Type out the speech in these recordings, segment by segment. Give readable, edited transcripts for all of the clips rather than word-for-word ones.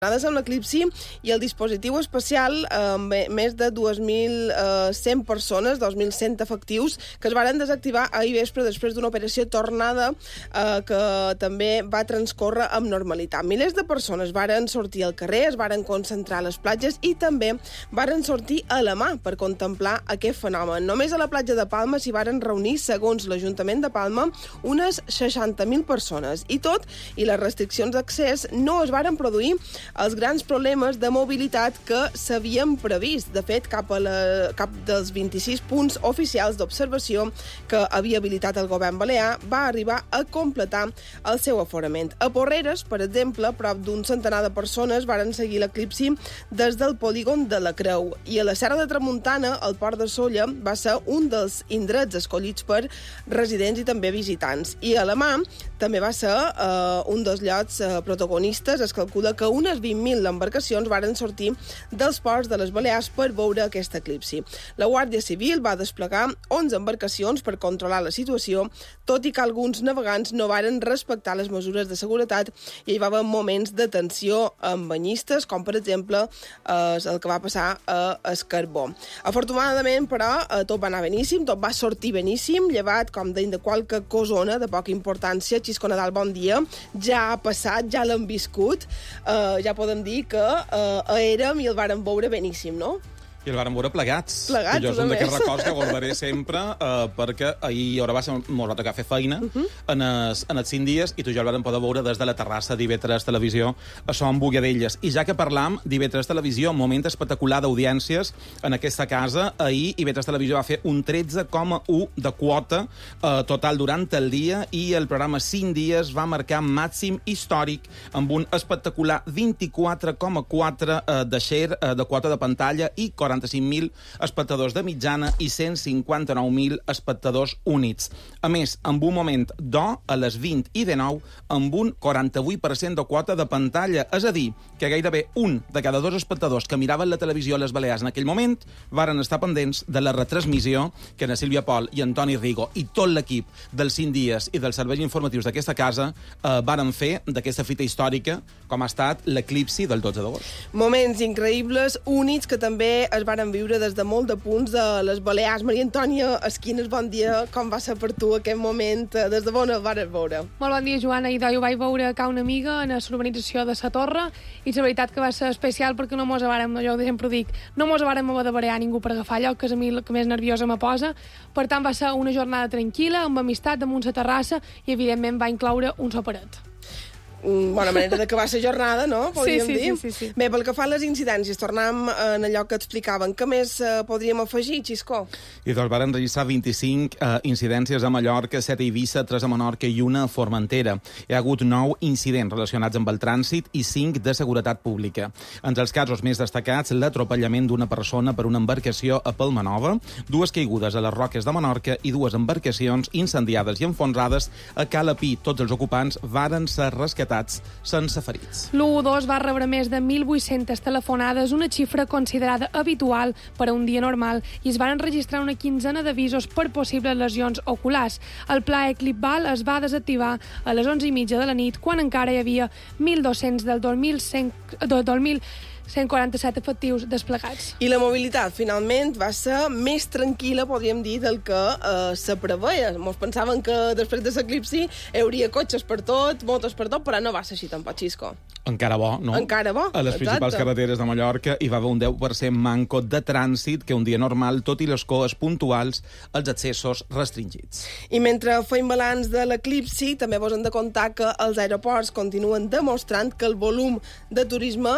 amb l'eclipsi i el dispositiu especial amb més de 2.100 persones, 2.100 efectius, que es varen desactivar ahir vespre després d'una operació tornada que també va transcórrer amb normalitat. Milers de persones varen sortir al carrer, es varen concentrar a les platges i també varen sortir a la mà per contemplar aquest fenomen. Només a la platja de Palma s'hi varen reunir, segons l'Ajuntament de Palma, unes 60.000 persones. I tot i les restriccions d'accés no es varen produir els grans problemes de mobilitat que s'havien previst. De fet, cap dels 26 punts oficials d'observació que havia habilitat el govern balear va arribar a completar el seu aforament. A Porreres, per exemple, prop d'un centenar de persones varen seguir l'eclipsi des del polígon de la Creu. I a la Serra de Tramuntana, el Port de Sóller va ser un dels indrets escollits per residents i també visitants. I a la Mà també va ser un dels llocs protagonistes. Es calcula que unes 20.000 embarcacions varen sortir dels ports de les Balears per veure aquest eclipsi. La Guàrdia Civil va desplegar 11 embarcacions per controlar la situació, tot i que alguns navegants no varen respectar les mesures de seguretat i hi va haver moments de tensió amb banyistes, com per exemple el que va passar a Escarbó. Afortunadament, però, tot va anar beníssim, tot va sortir beníssim, llevat, com deien, de qualque cosona de poca importància. Xisco Nadal, bon dia. Ja ha passat, ja l'hem viscut, ja podem dir que érem i el vàrem veure beníssim, no? I el vàrem veure plegats. Plegats, jo és un d'aquests records que guardaré sempre, perquè ahir va ser molt va tocar fer feina en els 5 dies, i tu i jo el vàrem poder veure des de la terrassa d'IV3 Televisió a Son Bogadelles. I ja que parlam d'IV3 Televisió, moment espectacular d'audiències en aquesta casa. Ahir IV3 Televisió va fer un 13,1 de quota total durant el dia, i el programa 5 dies va marcar màxim històric amb un espectacular 24,4 de share de quota de pantalla i 45.000 espectadors de mitjana i 159.000 espectadors únics. A més, amb un moment d'or a les 20:19, amb un 48% de quota de pantalla. És a dir, que gairebé un de cada 2 espectadors que miraven la televisió a les Balears en aquell moment varen estar pendents de la retransmissió que na Sílvia Pol i Antoni Rigo i tot l'equip dels 5 dies i dels serveis informatius d'aquesta casa varen fer d'aquesta fita històrica com ha estat l'eclipsi del 12 d'agost. Moments increïbles, únics, que també es varen viure des de molt de punts de les Balears. Maria Antònia Esquines, bon dia. Com va ser per tu aquest moment? Des de on el vares veure? Molt bon dia, Joana. I ho vaig veure a una amiga en la urbanització de Sa Torre, i la veritat que va ser especial perquè no mos vàrem, jo sempre ho dic, no mos vàrem haver de barear ningú per agafar allò, que és a mi el que més nerviosa me posa. Per tant, va ser una jornada tranquil·la, amb amistat, damunt la terrassa, i evidentment va incloure un soperet. Bona manera d'acabar la jornada, no? Podríem dir. Sí. Bé, pel que fa a les incidències, tornem en allò que explicaven. Què més podríem afegir, Xisco? I doncs varen registrar 25 incidències a Mallorca, 7 a Eivissa, 3 a Menorca i 1 a Formentera. Hi ha hagut 9 incidents relacionats amb el trànsit i 5 de seguretat pública. Entre els casos més destacats, l'atropellament d'una persona per una embarcació a Palmanova, 2 caigudes a les Roques de Menorca i 2 embarcacions incendiades i enfonsades a Cala Pi. Tots els ocupants varen ser rescatats sense ferits. L'112 va rebre més de 1.800 telefonades, una xifra considerada habitual per a un dia normal, i es van registrar una quinzena d'avisos per possibles lesions oculars. El pla Eclipval es va desactivar a les 11:30 de la nit, quan encara hi havia 1.200 del 2.147 efectius desplegats. I la mobilitat, finalment, va ser més tranquil·la, podríem dir, del que se preveia. Ens pensaven que després de l'eclipsi hi hauria cotxes per tot, motos per tot, però no va ser així tampoc, Xisco. Encara bo, no? Encara bo, a les principals carreteres de Mallorca hi va haver un 10% manco de trànsit que un dia normal, tot i les coes puntuals, els accessos restringits. I mentre feim balanç de l'eclipsi, també vos hem de contar que els aeroports continuen demostrant que el volum de turisme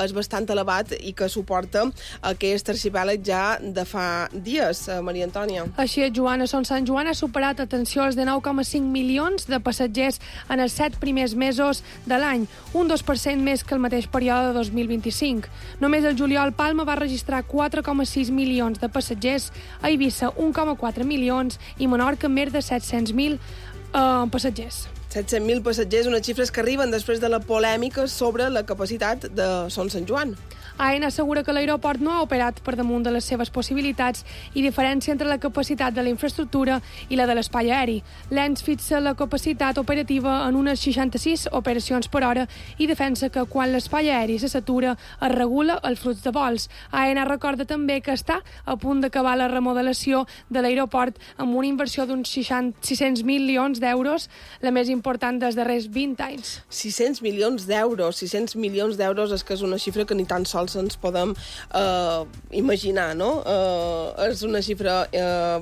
és bastant elevat i que suporta aquest arxipèlag ja de fa dies, Maria Antònia. Així és, Joana. Son Sant Joan ha superat, atenció, els de 9,5 milions de passatgers en els 7 primers mesos de l'any, un 2% més que el mateix període de 2025. Només el juliol Palma va registrar 4,6 milions de passatgers, a Eivissa 1,4 milions i Menorca més de 700.000 passatgers. 700.000 passatgers, unes xifres que arriben després de la polèmica sobre la capacitat de Son Sant Joan. AENA assegura que l'aeroport no ha operat per damunt de les seves possibilitats i diferència entre la capacitat de la infraestructura i la de l'espai aeri. L'ENS fixa la capacitat operativa en unes 66 operacions per hora i defensa que quan l'espai aeri se satura es regula el flux de vols. AENA recorda també que està a punt d'acabar la remodelació de l'aeroport amb una inversió d'uns 600 milions d'euros, la més important dels darrers 20 anys. 600 milions d'euros és que és una xifra que ni tan sols ens podem imaginar, no? És una xifra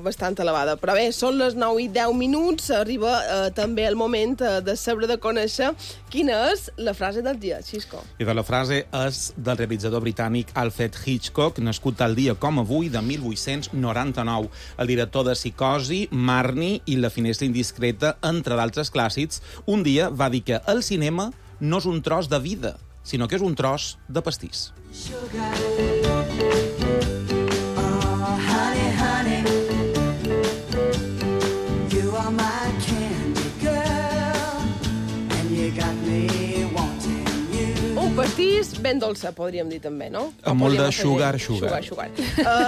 bastant elevada. Però bé, són les 9:10, arriba també el moment de saber, de conèixer quina és la frase del dia, Xisco. I la frase és del realitzador britànic Alfred Hitchcock, nascut tal dia com avui de 1899. El director de Psicosi, Marnie i La finestra indiscreta, entre d'altres clàssics, un dia va dir que el cinema no és un tros de vida, sinó que és un tros de pastís. Un pastís ben dolça, podríem dir també, no? Amb molt de sugar.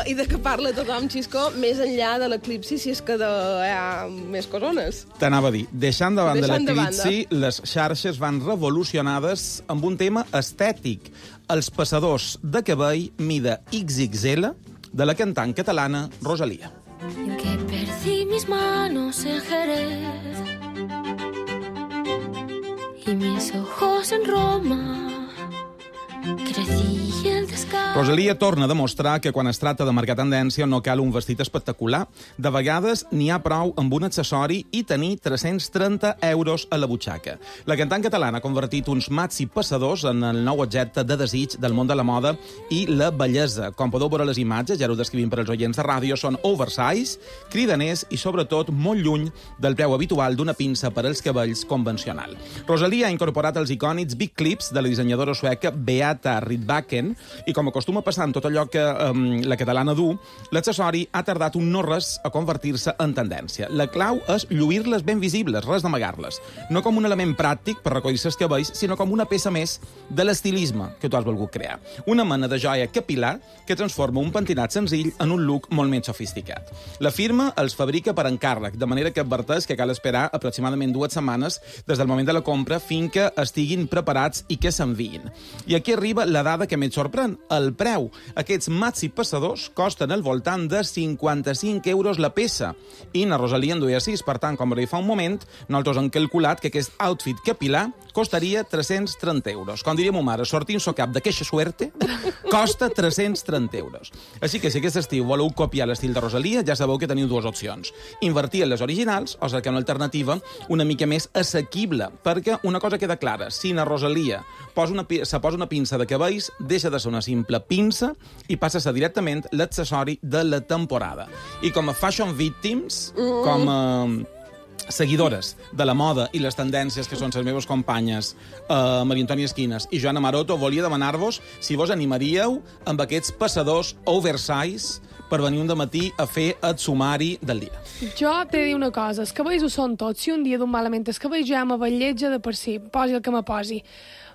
I de què parla tothom, Xisco, més enllà de l'eclipsi, si és que hi ha més corones. T'anava a dir, deixant de banda l'eclipsi, les xarxes van revolucionades amb un tema estètic. Els passadors de cabell mida XXL de la cantant catalana Rosalía. En que perdí mis manos en Jerez y mis ojos en Roma. Rosalía torna a demostrar que quan es tracta de marcar tendència no cal un vestit espectacular. De vegades n'hi ha prou amb un accessori i tenir 330 euros a la butxaca. La cantant catalana ha convertit uns maxi passadors en el nou objecte de desig del món de la moda i la bellesa. Com podeu veure les imatges, ja ho descrivim per als oients de ràdio, són oversize, cridaners i sobretot molt lluny del preu habitual d'una pinça per als cabells convencional. Rosalía ha incorporat els icònics big clips de la dissenyadora sueca Beata Rydbacken i com acostuma a passar en tot allò que la catalana du, l'accessori ha tardat un no res a convertir-se en tendència. La clau és lluir-les ben visibles, res d'amagar-les. No com un element pràctic per recollir-se els cabells, sinó com una peça més de l'estilisme que tu has volgut crear. Una mena de joia capilar que transforma un pentinat senzill en un look molt més sofisticat. La firma els fabrica per encàrrec, de manera que adverteix que cal esperar aproximadament 2 setmanes des del moment de la compra fins que estiguin preparats i que s'enviïn. I aquí arriba la dada que més sorprèn, el preu. Aquests maxi passadors costen al voltant de 55 euros la peça. I na Rosalía en duia 6, per tant, com va dir fa un moment, nosaltres hem calculat que aquest outfit capilar costaria 330 euros. Com diria ma mare, sortint-se cap de queixa suerte, costa 330 euros. Així que si aquest estiu voleu copiar l'estil de Rosalía, ja sabeu que teniu 2 opcions. Invertir en les originals o cercar una alternativa una mica més assequible, perquè una cosa queda clara, si na Rosalía se posa una pinça de cabells, deixa de ser una simple pinça i passa a ser directament l'accessori de la temporada. I com a fashion victims, com a seguidores de la moda i les tendències que són les meves companyes Maria Antònia Esquinas i Joana Maroto, volia demanar-vos si vos animaríeu amb aquests passadors oversize per venir un dematí a fer el sumari del dia. Jo t'he de dir una cosa, els cabells ho són tots. Si un dia d'un malament els cabells ja m'avelletja de per si, posi el que me posi.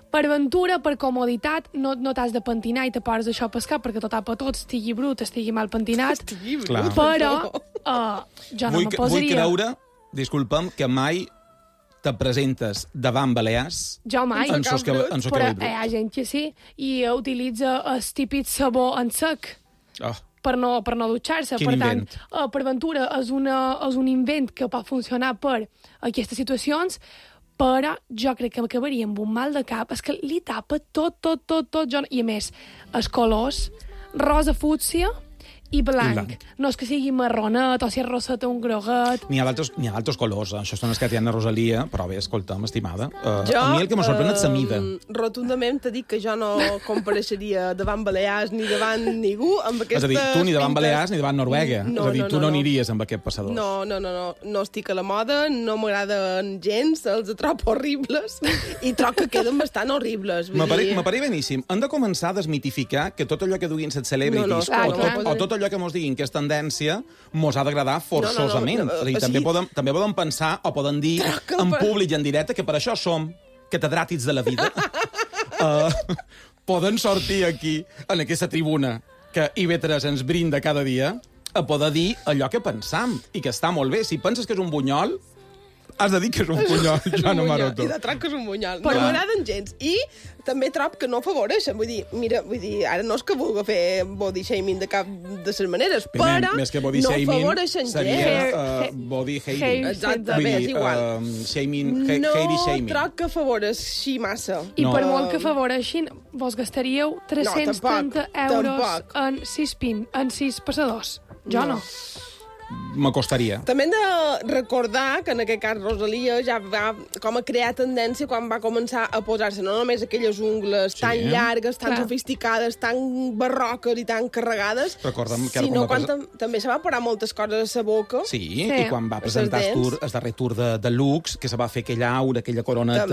Per aventura, per comoditat, no t'has de pentinar i te poses això a pescar perquè tot tapa tot, estigui brut, estigui mal pentinat. Però jo no me posaria... Vull creure, disculpa'm, que mai te presentes davant balears jo mai, en sos cabell brut. Però hi ha gent que sí, i utilitza el típic sabó en sec. Per no dutxar-se. Quin invent. Per aventura és un invent que pot funcionar per aquestes situacions, però jo crec que m'acabaria amb un mal de cap. És que li tapa tot. I a més, els colors, rosa fúcsia i blanc. No és que sigui marronet o si és roseta un groguet. N'hi ha d'altres colors. Això són els que tenen a Rosalia, però bé, escolta'm, estimada. A mi el que me sorprèn és la mida. Rotundament t'he dit que jo no compareixeria davant Balears ni davant ningú amb aquestes... És a dir, tu ni davant Balears ni davant Noruega. No, és a dir, tu no aniries amb aquest passador. No estic a la moda, no m'agraden gens, els trobo horribles i trobo que queden bastant horribles. M'apareix beníssim. Hem de començar a desmitificar que tot allò que duguin les celebrities o tot allò que mos diguin que és tendència mos ha d'agradar forçosament. També podem pensar o poden dir en públic i en directe que per això som catedràtics de la vida. poden sortir aquí, en aquesta tribuna, que IB3 ens brinda cada dia, a poder dir allò que pensam, i que està molt bé. Si penses que és un bunyol, has de dir que és un bunyol, Joana Maroto. I de troc que és un bunyol. No m'agraden gens. I també trob que no afavoreixen. Vull dir, ara no és que vulgui fer body shaming de cap de les maneres, però més que body no shaming, afavoreixen gens. seria body hating. Exacte, bé, és igual. No shaming. Troc que afavoreixi massa. I per molt que afavoreixin, vos gastaríeu 330 euros en 6 passadors. Jo no. M'acostaria. També hem de recordar que en aquest cas Rosalia ja va com a crear tendència quan va començar a posar-se no només aquelles ungles tan llargues, tan sofisticades, tan barroques i tan carregades, sinó quan també se va parar moltes coses a sa boca. Sí, i quan va presentar el darrer tour de Lux, que se va fer aquella aura, aquella coroneta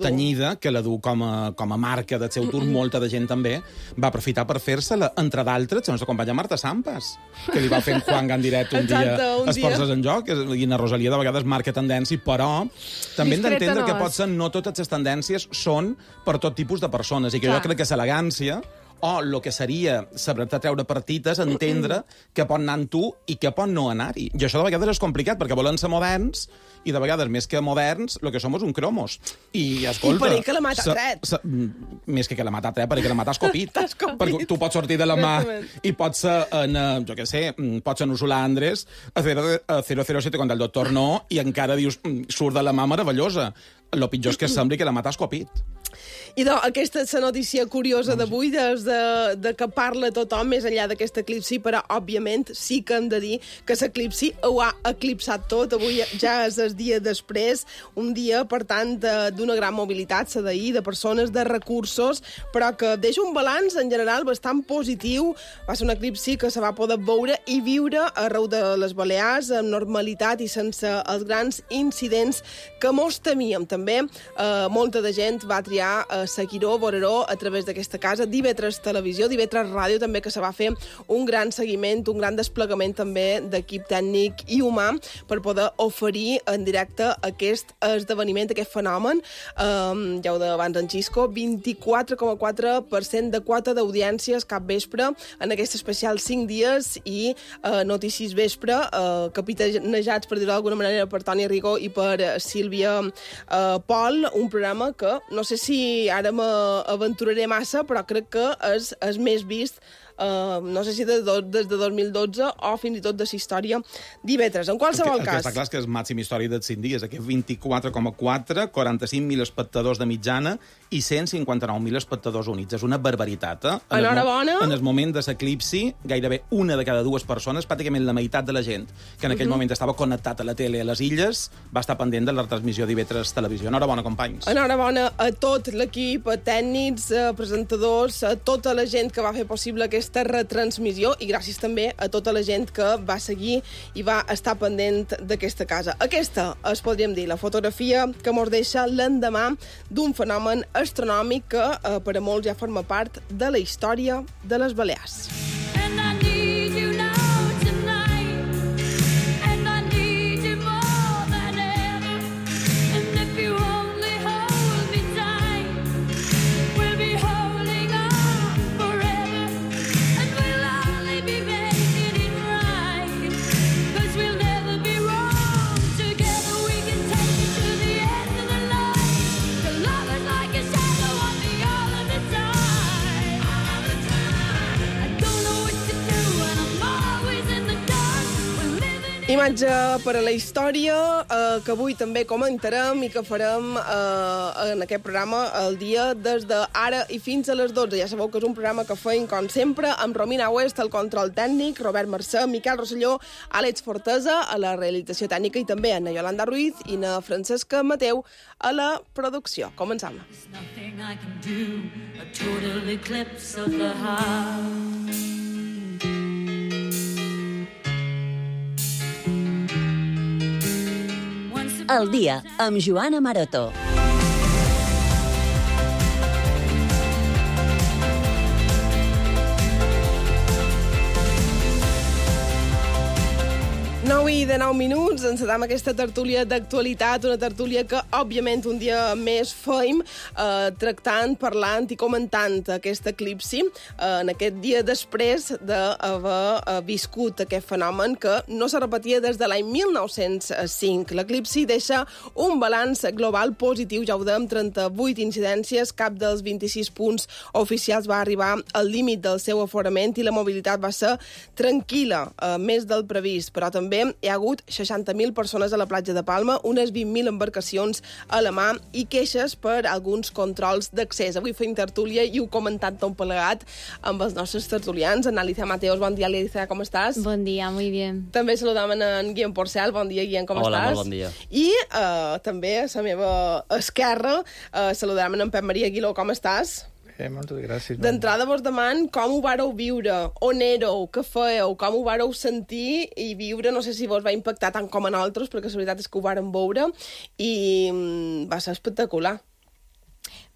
tenyida, que la du com a marca del seu tour, molta de gent també va aprofitar per fer-se-la, entre d'altres, la nostra companya Marta Sampas, que li va fer Juan en directe un dia es Forces en Joc, i la Rosalia de vegades marca tendència, però també hem d'entendre que potser no totes les tendències són per tot tipus de persones, i que jo crec que l'elegància o el que seria saber-te treure partites, entendre què pot anar amb tu i què pot no anar-hi. I això de vegades és complicat, perquè volen ser moderns, i de vegades, més que moderns, el que som és un cromos. I, escolta... I per que la mata tret. Més que la mata tret, perquè la mata escopit. Perquè tu pots sortir de la mà i pots ser jo què sé, pots ser en Ursula Andrés a 007 contra el doctor No, i encara dius, surt de la mà meravellosa. El pitjor és que sembli que la mata escopit. I aquesta és la notícia curiosa d'avui, de que parla tothom més enllà d'aquest eclipsi, però, òbviament, sí que hem de dir que l'eclipsi ho ha eclipsat tot. Avui ja és el dia després, un dia, per tant, d'una gran mobilitat, la d'ahir, de persones, de recursos, però que deixa un balanç, en general, bastant positiu. Va ser un eclipsi que se va poder veure i viure arreu de les Balears, amb normalitat i sense els grans incidents que mos temíem. També molta de gent va triar seguir-ho, veure-ho a través d'aquesta casa, d'IV3 Televisió, d'IV3 Ràdio, també, que se va fer un gran seguiment, un gran desplegament també d'equip tècnic i humà per poder oferir en directe aquest esdeveniment, aquest fenomen. Ja ho deia abans en Xisco, 24,4% de quota d'audiències cap vespre en aquest especial 5 dies i notícies vespre, capitanejats, per dir-ho d'alguna manera, per Toni Rigó i per Sílvia Pol, un programa que no sé si ara m'aventuraré massa, però crec que és més vist no sé si des de 2012 o fins i tot de la història d'IV3. En qualsevol cas... Està clar que és màxima història dels 5 dies. Aquest 24,4, 45.000 espectadors de mitjana i 159.000 espectadors units. És una barbaritat, Enhorabona. En el moment de l'eclipsi, gairebé una de cada dues persones, pràcticament la meitat de la gent que en aquell moment estava connectat a la tele a les illes, va estar pendent de la transmissió d'IV3 Televisió. Enhorabona, companys. Enhorabona a tot l'equip, a tècnics, a presentadors, a tota la gent que va fer possible aquesta retransmissió, i gràcies també a tota la gent que va seguir i va estar pendent d'aquesta casa. Aquesta és, podríem dir, la fotografia que mos deixa l'endemà d'un fenomen astronòmic que per a molts ja forma part de la història de les Balears. Imatge per a la història que avui també comentarem i que farem en aquest programa el dia des d'ara i fins a les 12. Ja sabeu que és un programa que feim, com sempre, amb Romina West, el control tècnic, Robert Mercè, Miquel Rosselló, Àlex Fortesa, a la realització tècnica, i també a na Yolanda Ruiz i na Francesca Mateu a la producció. Començam. El dia amb Joana Maroto. Nou i 9:19, encetam aquesta tertúlia d'actualitat, una tertúlia que, òbviament, un dia més feim tractant, parlant i comentant aquest eclipsi en aquest dia després d'haver viscut aquest fenomen que no se repetia des de l'any 1905. L'eclipsi deixa un balanç global positiu, ja ho dèiem, 38 incidències, cap dels 26 punts oficials va arribar al límit del seu aforament i la mobilitat va ser tranquil·la, més del previst, però també hi ha hagut 60.000 persones a la platja de Palma, unes 20.000 embarcacions a la mà i queixes per alguns controls d'accés. Avui fem tertúlia i ho comentat tot plegat amb els nostres tertulians. En Alicia Mateos, bon dia, Alicia, com estàs? Bon dia, muy bien. També saludam en Guillem Porcel, bon dia, Guillem, com estàs? Hola, molt bon dia. I també a la meva esquerra saludam en Pep Maria Aguiló, com estàs? Moltes gràcies. D'entrada vos deman com ho vareu viure, on éreu, què fèieu, com ho vareu sentir i viure, no sé si vos va impactar tant com a nosaltres, perquè la veritat és que ho vàrem veure i va ser espectacular.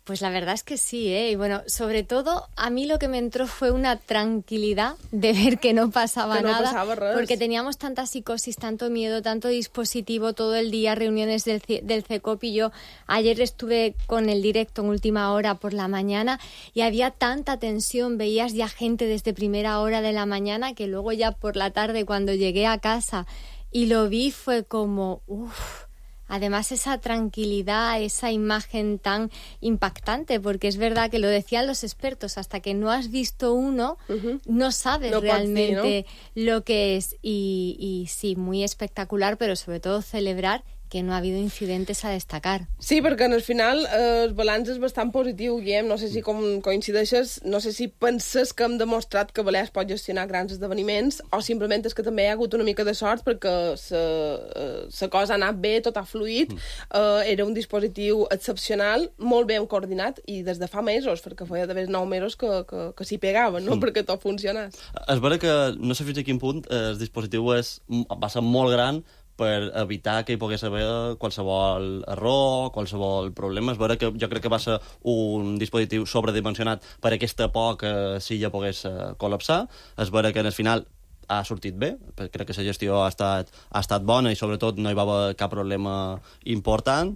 Pues la verdad es que sí, ¿eh? Y bueno, sobre todo, a mí lo que me entró fue una tranquilidad de ver que no pasaba nada, porque teníamos tanta psicosis, tanto miedo, tanto dispositivo todo el día, reuniones del CECOP, y yo ayer estuve con el directo en última hora por la mañana y había tanta tensión, veías ya gente desde primera hora de la mañana que luego ya por la tarde cuando llegué a casa y lo vi fue como, uff. Además, esa tranquilidad, esa imagen tan impactante, porque es verdad que lo decían los expertos, hasta que no has visto uno, no sabes realmente lo que es. Y sí, muy espectacular, pero sobre todo celebrar que no ha habido incidentes a destacar. Sí, perquè al final el balanç és bastant positiu, Guillem. No sé si coincideixes, no sé si penses que hem demostrat que Balears pot gestionar grans esdeveniments o simplement és que també hi ha hagut una mica de sort perquè la cosa ha anat bé, tot ha fluït, era un dispositiu excepcional, molt ben coordinat i des de fa mesos, perquè feia d'haver 9 mesos que s'hi pegaven, no? Perquè tot funcionés. És vera que no sé fins a quin punt el dispositiu va ser molt gran per evitar que hi pogués haver qualsevol error, qualsevol problema. És vera que jo crec que va ser un dispositiu sobredimensionat per aquesta por que sí ja pogués col·lapsar. És vera que al final ha sortit bé, crec que la gestió ha estat bona i sobretot no hi va haver cap problema important.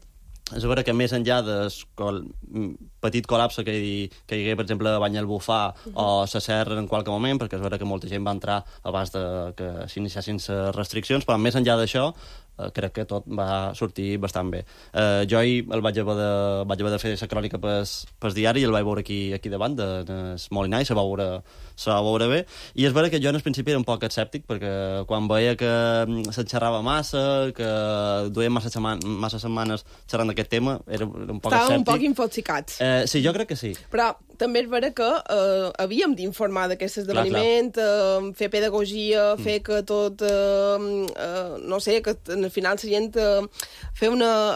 És vera que més enllà del petit col·lapse que hi hagué, per exemple, a Banyalbufar o a Serra en qualque moment, perquè és vera que molta gent va entrar abans que s'iniciassin les restriccions, però més enllà d'això crec que tot va sortir bastant bé. Jo ahir vaig haver de fer la crònica pel diari i el vaig veure aquí davant, del Molinà, i se va veure bé. I és vera que jo en el principi era un poc escèptic, perquè quan veia que s'enxerrava massa, que duien massa setmanes xerrant d'aquest tema, era un poc escèptic. Estàvem un poc infotxicats. Sí, jo crec que sí. Però també és vera que havíem d'informar d'aquest esdeveniment, fer pedagogia, fer que tot, no sé, que al final la gent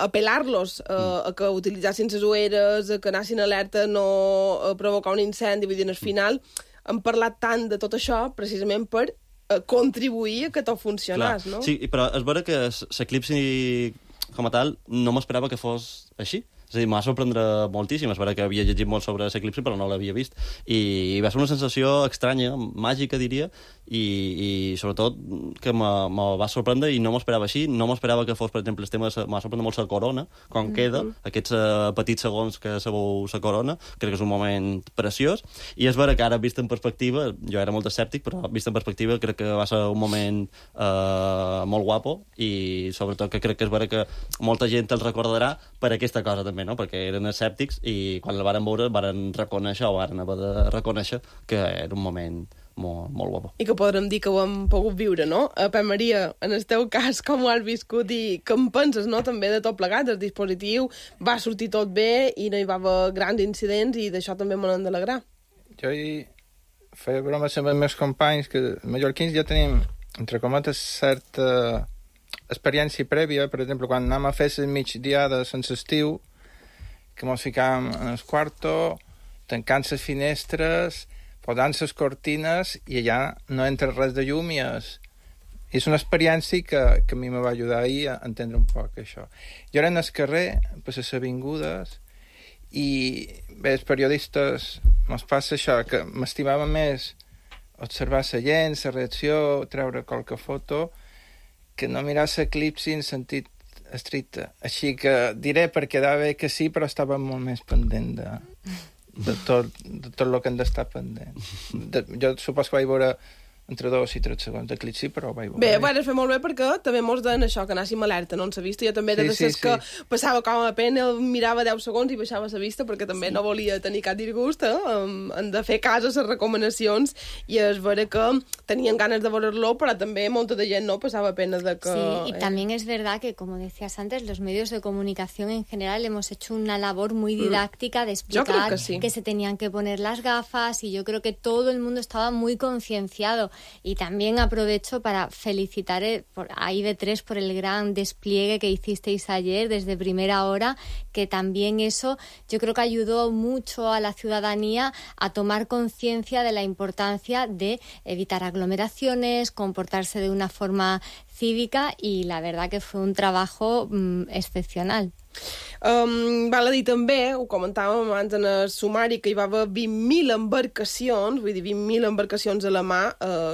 apel·lar-los a que utilitzassin les ulleres, a que anessin alerta a no provocar un incendi. Vull dir, al final hem parlat tant de tot això precisament per contribuir a que tot funcionés, no? Sí, però és vera que l'eclipsi com a tal no m'esperava que fos així. És a dir, m'ha sorprendre moltíssim. És vera que havia llegit molt sobre l'eclipsi, però no l'havia vist. I va ser una sensació estranya, màgica, diria, i sobretot que me va sorprendre i no m'esperava així. No m'esperava que fos, per exemple, el tema... M'ha sorprendre molt la corona, com queda, aquests petits segons que sabeu la corona. Crec que és un moment preciós. I és vera que ara, vist en perspectiva, jo era molt escèptic, però vist en perspectiva crec que va ser un moment molt guapo i sobretot que crec que és vera que molta gent el recordarà per aquesta cosa també, no? Perquè eren escèptics i quan el varen veure varen reconèixer o varen haver de reconèixer que era un moment molt guapo. I que podrem dir que ho hem pogut viure, no? Pep Maria, en el teu cas, com ho has viscut i què en penses, no? També de tot plegat, el dispositiu va sortir tot bé i no hi va haver grans incidents i d'això també me n'hem d'alegrar. Jo hi feia bromes amb els meus companys que mallorquins ja tenim, entre cometes, certa experiència prèvia. Per exemple, quan anem a fer les migdiades en l'estiu, que mos ficàvem en el quarto, tancant les finestres, posant les cortines i allà no entra res de llum i és una experiència que a mi me va ajudar ahir a entendre un poc això. Jo era en el carrer, per les avingudes, i bé, els periodistes mos passa això, que m'estimava més observar la gent, la reacció, treure qualque foto, que no mirar l'eclipsi en sentit estricte. Així que diré per quedar bé que sí, però estava molt més pendent de tot el que hem d'estar pendent. Jo supos que vaig veure entre 2 i 3 segons d'eclipsi, però vaig veure. Bé, bueno, es fa molt bé perquè també mos deien això, que anàssim alerta, no en la vista. Jo també era de ses que passava com a pena, mirava 10 segons i baixava la vista perquè també no volia tenir cap disgust, en de fer cas a les recomanacions, i és vera que tenien ganes de veure-lo, però també molta de gent no passava pena de que... Sí, y también es verdad que, como decías antes, los medios de comunicación en general hemos hecho una labor muy didáctica de explicar que se tenían que poner las gafas, y yo creo que todo el mundo estaba muy concienciado. Y también aprovecho para felicitar a IB3 por el gran despliegue que hicisteis ayer desde primera hora, que también eso yo creo que ayudó mucho a la ciudadanía a tomar conciencia de la importancia de evitar aglomeraciones, comportarse de una forma cívica, y la verdad que fue un trabajo excepcional. Val a dir també, ho comentàvem abans en el sumari, que hi va haver 20.000 embarcacions, vull dir 20.000 embarcacions a la mà,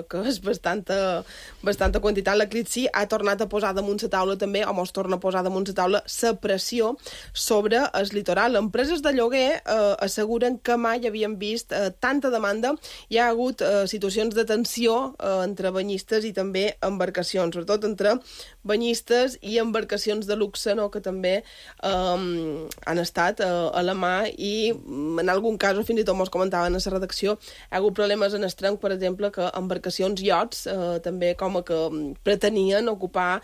que és bastanta quantitat. L'eclipsi ha tornat a posar damunt la taula també, o mos torna a posar damunt la taula, la pressió sobre el litoral. Empreses de lloguer asseguren que mai havien vist tanta demanda. Hi ha hagut situacions de tensió entre banyistes i també embarcacions, sobretot entre banyistes i embarcacions de luxe, no?, que també han estat a la mà, i en algun cas, fins i tot mos comentaven a la redacció, hi ha hagut problemes en el tronc, per exemple, que embarcacions iots també com que pretenien ocupar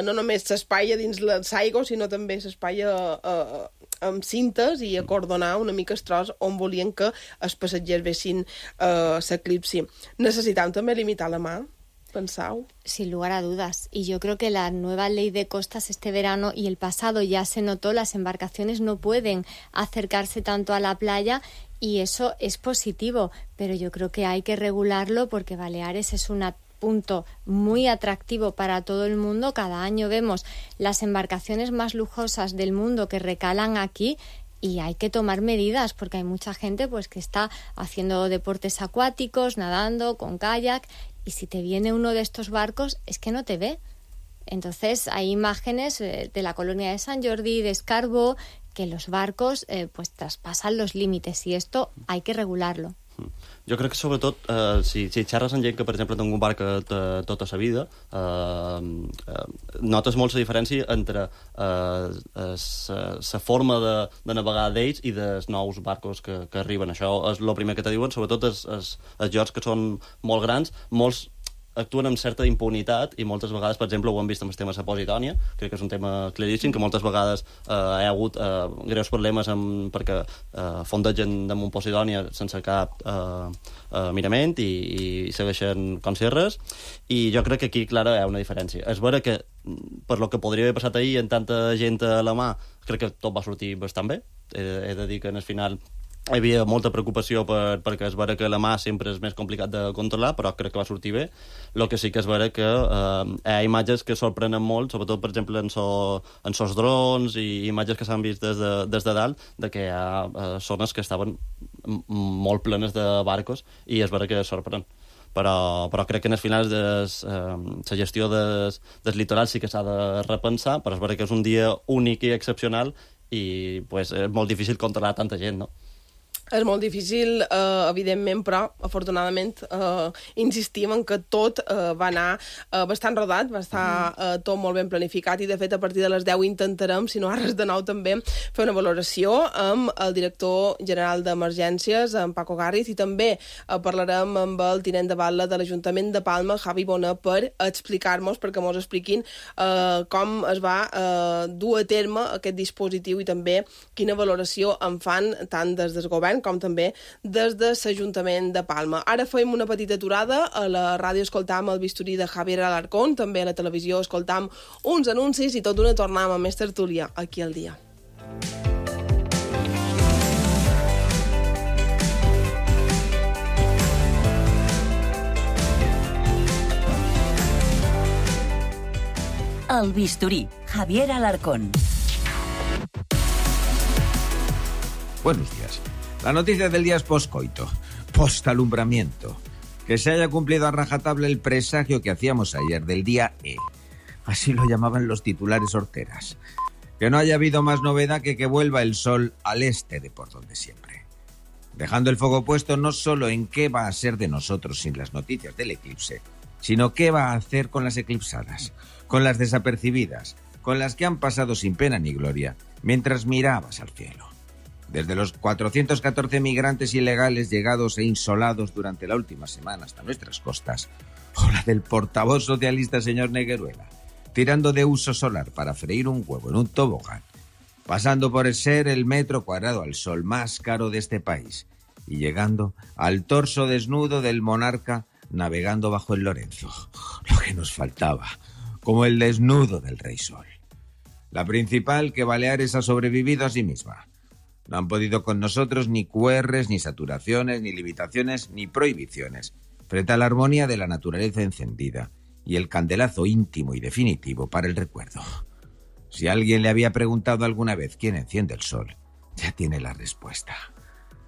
no només l'espai a dins l'aigua, sinó també l'espai amb cintes i acordonar una mica el tros on volien que els passatgers vessin l'eclipsi. Necessitàvem també limitar la mà, pensau. Sin lugar a dudas. Y yo creo que la nueva ley de costas este verano y el pasado ya se notó, las embarcaciones no pueden acercarse tanto a la playa, y eso es positivo, pero yo creo que hay que regularlo porque Baleares es un punto muy atractivo para todo el mundo. Cada año vemos las embarcaciones más lujosas del mundo que recalan aquí, y hay que tomar medidas porque hay mucha gente pues que está haciendo deportes acuáticos, nadando con kayak, y si te viene uno de estos barcos es que no te ve. Entonces hay imágenes de la colonia de Sant Jordi, de Escarbó, que los barcos pues traspasan los límites, y esto hay que regularlo. Jo crec que, sobretot, si xerres amb gent que, per exemple, té un barca tota sa vida, notes molt la diferència entre la forma de navegar d'ells i dels nous barcos que arriben. Això és el primer que te diuen, sobretot els llocs que són molt grans, molts actuen amb certa impunitat, i moltes vegades, per exemple, ho hem vist amb el tema de la Posidònia, crec que és un tema claríssim, que moltes vegades hi ha hagut greus problemes perquè fondegen damunt Posidònia sense cap mirament, i segueixen com si res, i jo crec que aquí, clara, hi ha una diferència. És vera que, per lo que podria haver passat ahir amb tanta gent a la mà, crec que tot va sortir bastant bé. He de dir que en el final hi havia molta preocupació perquè és vera que la mà sempre és més complicat de controlar, però crec que va sortir bé. El que sí que és vera que hi ha imatges que sorprenen molt, sobretot, per exemple, en sos drons, i imatges que s'han vist des de dalt, de que hi ha zones que estaven molt plenes de barcos, i és vera que sorprèn. Però crec que en el final la gestió del litoral sí que s'ha de repensar, però és vera que és un dia únic i excepcional, i pues, és molt difícil controlar tanta gent, no? És molt difícil, evidentment, però afortunadament insistim en que tot va anar bastant rodat, va estar tot molt ben planificat, i de fet a partir de les 10 intentarem, si no res de nou també, fer una valoració amb el director general d'Emergències, en Paco Garriz, i també parlarem amb el tinent de batlle de l'Ajuntament de Palma, Javi Bona, per explicar-nos, perquè mos expliquin com es va dur a terme aquest dispositiu, i també quina valoració en fan tant des del govern com també des de l'Ajuntament de Palma. Ara fem una petita aturada, a la ràdio escoltam el bisturí de Javier Alarcón, també a la televisió escoltam uns anuncis, i tot d'una tornem a més tertúlia aquí al dia. El bisturí, Javier Alarcón. Buenos días. La noticia del día es poscoito, postalumbramiento. Que se haya cumplido a rajatabla el presagio que hacíamos ayer del día E. Así lo llamaban los titulares horteras. Que no haya habido más novedad que vuelva el sol al este de por donde siempre. Dejando el foco puesto no solo en qué va a ser de nosotros sin las noticias del eclipse, sino qué va a hacer con las eclipsadas, con las desapercibidas, con las que han pasado sin pena ni gloria, mientras mirabas al cielo. Desde los 414 migrantes ilegales llegados e insolados durante la última semana hasta nuestras costas, o la del portavoz socialista señor Negueruela, tirando de uso solar para freír un huevo en un tobogán, pasando por ser el metro cuadrado al sol más caro de este país y llegando al torso desnudo del monarca navegando bajo el Lorenzo. Lo que nos faltaba, como el desnudo del Rey Sol. La principal, que Baleares ha sobrevivido a sí misma. No han podido con nosotros ni QRs, ni saturaciones, ni limitaciones, ni prohibiciones, frente a la armonía de la naturaleza encendida y el candelazo íntimo y definitivo para el recuerdo. Si alguien le había preguntado alguna vez quién enciende el sol, ya tiene la respuesta.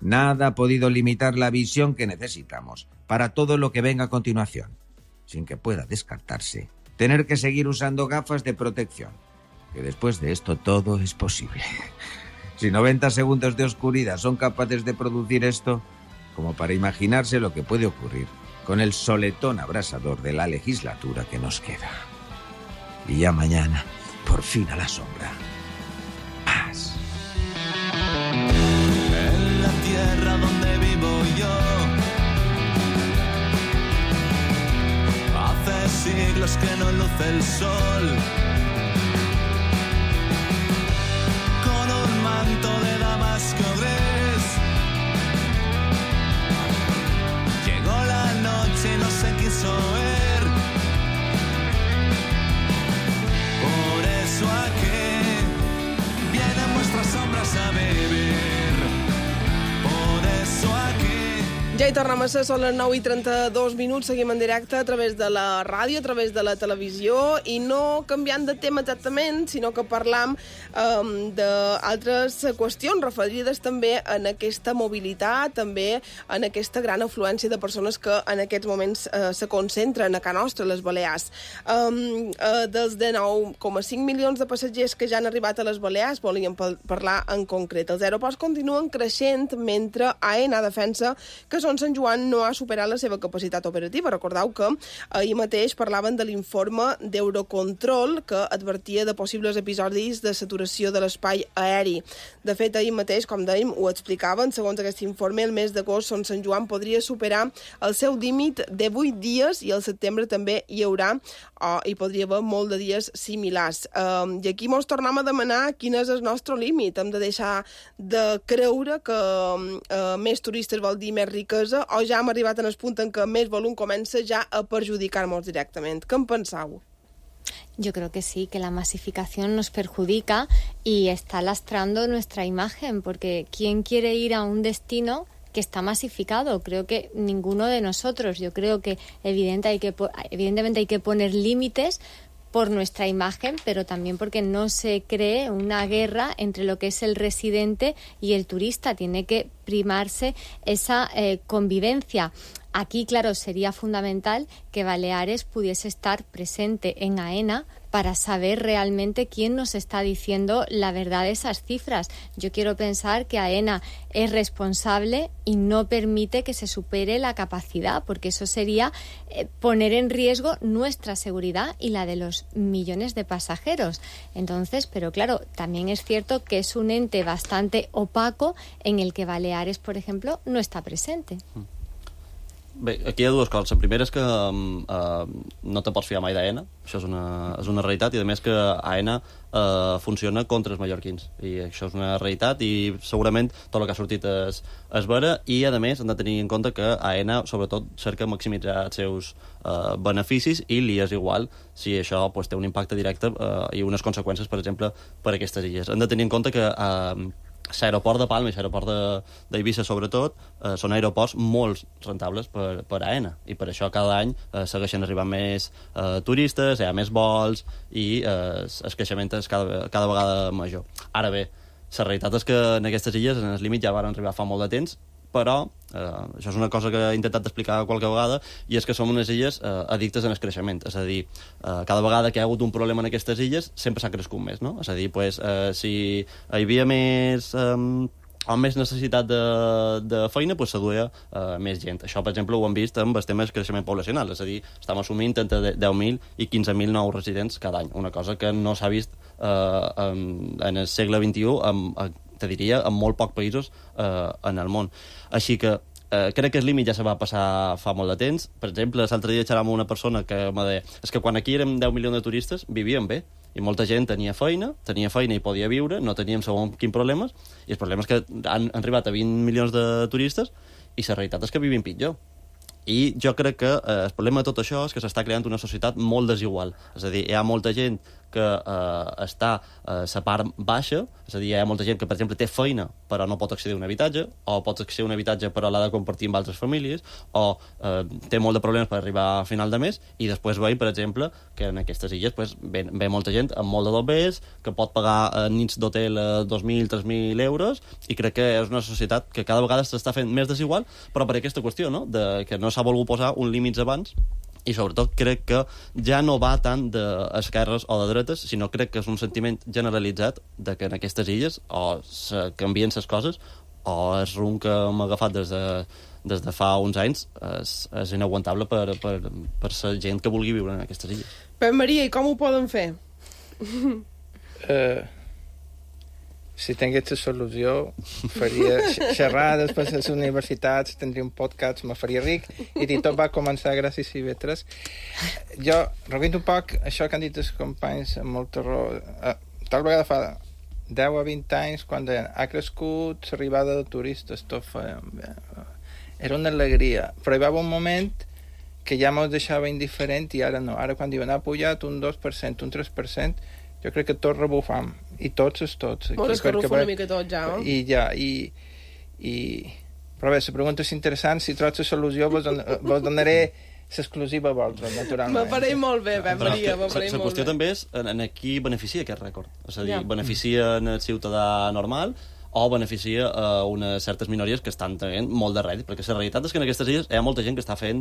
Nada ha podido limitar la visión que necesitamos para todo lo que venga a continuación, sin que pueda descartarse tener que seguir usando gafas de protección, que después de esto todo es posible. Si 90 segundos de oscuridad son capaces de producir esto, como para imaginarse lo que puede ocurrir con el soletón abrasador de la legislatura que nos queda. Y ya mañana, por fin a la sombra. Paz. En la tierra donde vivo yo, hace siglos que no luce el sol. Con un manto de damasco gris, llegó la noche y no se quiso ver. Por eso aquí vienen vuestras sombras a beber. Por eso aquí... Ja hi tornem a ser, són les 9:32, seguim en directe a través de la ràdio, a través de la televisió, i no canviant de tema exactament, sinó que parlam d'altres qüestions referides també en aquesta mobilitat, també en aquesta gran afluència de persones que en aquests moments se concentren a casa nostra, a les Balears. Dels 19,5 milions de passatgers que ja han arribat a les Balears, volíem parlar en concret. Els aeroports continuen creixent mentre AENA defensa que Sant Joan no ha superat la seva capacitat operativa. Recordeu que ahir mateix parlaven de l'informe d'Eurocontrol que advertia de possibles episodis de saturació de l'espai aeri. De fet, ahir mateix, com dèiem, ho explicaven, segons aquest informe, el mes d'agost Sant Joan podria superar el seu límit de 8 dies i al setembre també hi haurà hi podria haver molt de dies similars. I aquí mos tornem a demanar quin és el nostre límit. Hem de deixar de creure que més turistes vol dir més riquesa, o ja hem arribat en el punt en què més volum comença ja a perjudicar-nos directament. Què en penseu? Yo creo que sí, que la masificación nos perjudica y está lastrando nuestra imagen, porque ¿quién quiere ir a un destino que está masificado? Creo que ninguno de nosotros. Yo creo que evidentemente hay que poner límites por nuestra imagen, pero también porque no se cree una guerra entre lo que es el residente y el turista. Tiene que primarse esa convivencia. Aquí, claro, sería fundamental que Baleares pudiese estar presente en AENA para saber realmente quién nos está diciendo la verdad de esas cifras. Yo quiero pensar que AENA es responsable y no permite que se supere la capacidad, porque eso sería poner en riesgo nuestra seguridad y la de los millones de pasajeros. Entonces, pero claro, también es cierto que es un ente bastante opaco en el que Baleares, por ejemplo, no está presente. Bé, aquí hi ha dues coses. La primera és que no te pots fiar mai d'AENA, això és una realitat, i a més que AENA funciona contra els mallorquins, i això és una realitat, i segurament tot el que ha sortit és vera, i a més hem de tenir en compte que AENA sobretot cerca maximitzar els seus beneficis, i li és igual si això té un impacte directe i unes conseqüències, per exemple, per a aquestes illes. Hem de tenir en compte que l'aeroport de Palma i l'aeroport d'Eivissa, sobretot, són aeroports molt rentables per AENA, i per això cada any segueixen arribant més turistes, hi ha més vols i el creixement és cada vegada major. Ara bé, la realitat és que en aquestes illes, en el límit, ja van arribar fa molt de temps, però això és una cosa que he intentat explicar qualque vegada, i és que som unes illes addictes en el creixement. És a dir, cada vegada que hi ha hagut un problema en aquestes illes, sempre s'ha crescut més, no? És a dir, pues, si hi havia més... amb més necessitat de feina, pues, s'aduia més gent. Això, per exemple, ho hem vist amb els temes de creixement poblacional, és a dir, estem assumint entre 10.000 i 15.000 nous residents cada any, una cosa que no s'ha vist en el segle XXI, te diria, en molt pocs països en el món. Així que crec que el límit ja se va passar fa molt de temps. Per exemple, l'altre dia xerrava amb una persona que me deia és que quan aquí érem 10 milions de turistes vivíem bé, i molta gent tenia feina i podia viure, no teníem segons quins problemes, i el problema és que han arribat a 20 milions de turistes i la realitat és que vivim pitjor. I jo crec que el problema de tot això és que s'està creant una societat molt desigual. És a dir, hi ha molta gent que està a la part baixa, és a dir, hi ha molta gent que, per exemple, té feina però no pot accedir a un habitatge, o pot accedir a un habitatge però l'ha de compartir amb altres famílies, o té molt de problemes per arribar a final de mes, i després veiem, per exemple, que en aquestes illes pues, ve molta gent amb molt de doblers, que pot pagar nits d'hotel 2.000, 3.000 euros, i crec que és una societat que cada vegada s'està fent més desigual, però per aquesta qüestió, no? De que no s'ha volgut posar un límits abans, i sobretot crec que ja no va tant d'esquerres o de dretes, sinó crec que és un sentiment generalitzat de que en aquestes illes o se canvien les coses o el rumb que hem agafat des de fa uns anys és inaguantable per la gent que vulgui viure en aquestes illes. Pep Maria, i com ho poden fer? Si tingués la solució, faria xerrades per les universitats, tindria un podcast, me faria ric, i tot va començar gràcies a IB3. Jo, recuint un poc això que han dit els companys amb molta raó. Tal vegada fa 10 a 20 anys, quan ha crescut l'arribada de turistes, tot era una alegria. Però hi va haver un moment que ja mos deixava indiferent i ara no. Ara quan diuen ha pujat un 2%, un 3%, jo crec que tots rebufam, i tots. Molt escarrufa una mica tot ja, no? Però bé, la pregunta és interessant, si trobes la solució vos donaré l'exclusiva a vosaltres, naturalment. M'apareix molt bé, Pep Maria, m'apareix molt bé. La qüestió també és en qui beneficia aquest rècord. És a dir, beneficia en el ciutadà normal o beneficia unes certes minories que estan tenint molt de rèdit, perquè la realitat és que en aquestes illes hi ha molta gent que està fent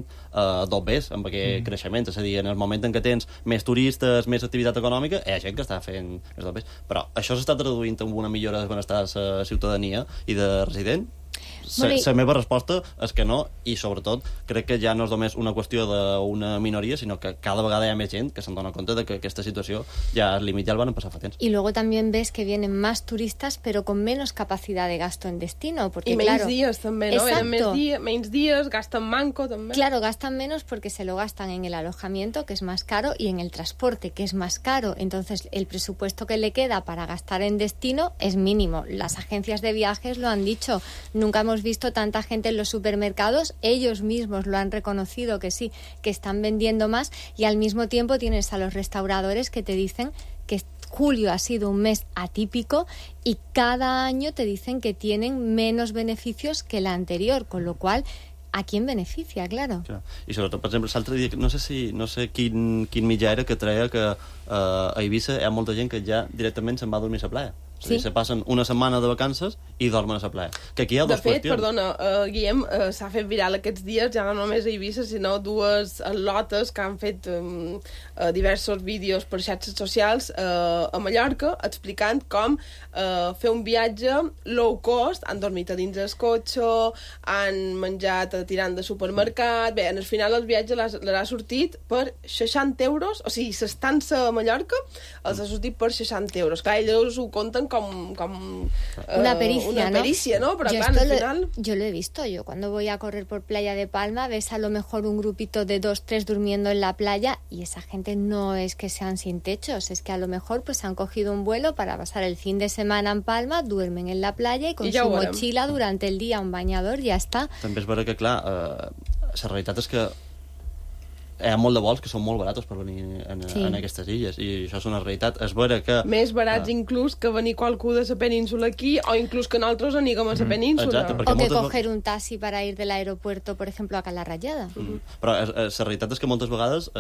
dobbers amb aquest creixement, és a dir, en el moment en què tens més turistes, més activitat econòmica, hi ha gent que està fent més dobbers. Però això s'està traduint en una millora de benestar de la ciutadania i de resident? La meva resposta és que no, i sobretot crec que ja no és només una qüestió d'una minoria, sinó que cada vegada hi ha més gent que se'n dona compte de que aquesta situació ja el límit ja el van pasar fa temps. Y luego también ves que vienen más turistas pero con menos capacidad de gasto en destino, porque y menys dies també, no? Menys dies, gastan manco també. Claro, gastan menos porque se lo gastan en el alojamiento, que es más caro, y en el transporte, que es más caro. Entonces el presupuesto que le queda para gastar en destino es mínimo. Las agencias de viajes lo han dicho, nunca hemos visto tanta gente en los supermercados, ellos mismos lo han reconocido que sí, que están vendiendo más, y al mismo tiempo tienes a los restauradores que te dicen que julio ha sido un mes atípico y cada año te dicen que tienen menos beneficios que el anterior, con lo cual ¿a quién beneficia, claro? I sobretot, per exemple, l'altre dia, no sé quin mitjà era que treia que a Eivissa hi ha molta gent que ja directament se'n va a dormir a la playa. És a dir, se passen una setmana de vacances i dormen a la playa. Que aquí hi ha dues qüestions. De fet, perdona, Guillem, s'ha fet viral aquests dies, ja no només a Eivissa, sinó dues atletes que han fet diversos vídeos per xarxes socials a Mallorca, explicant com fer un viatge low cost, han dormit a dins el cotxe, han menjat tirant de supermercat. Bé, en el final el viatge les ha sortit per 60 euros, o sigui, l'estança a Mallorca els ha sortit per 60 euros. Clar, ells ho compten como una pericia, ¿no? Pero claro, al final... Yo lo he visto. Yo cuando voy a correr por Playa de Palma, ves a lo mejor un grupito de 2, 3 durmiendo en la playa, y esa gente no es que sean sin techos, es que a lo mejor pues han cogido un vuelo para pasar el fin de semana en Palma, duermen en la playa y con su mochila durante el día, un bañador, ya está. També és vera que, clar, la realitat és que hi ha molt de vols que són molt baratos per venir en aquestes illes, i això és una realitat. És vera que... Més barats inclús que venir qualcú de la península aquí, o inclús que nosaltres aníguem a la península. Exacte, o que coger un taxi para ir del aeropuerto, per exemple, a Cala Rayada. Però la realitat és que moltes vegades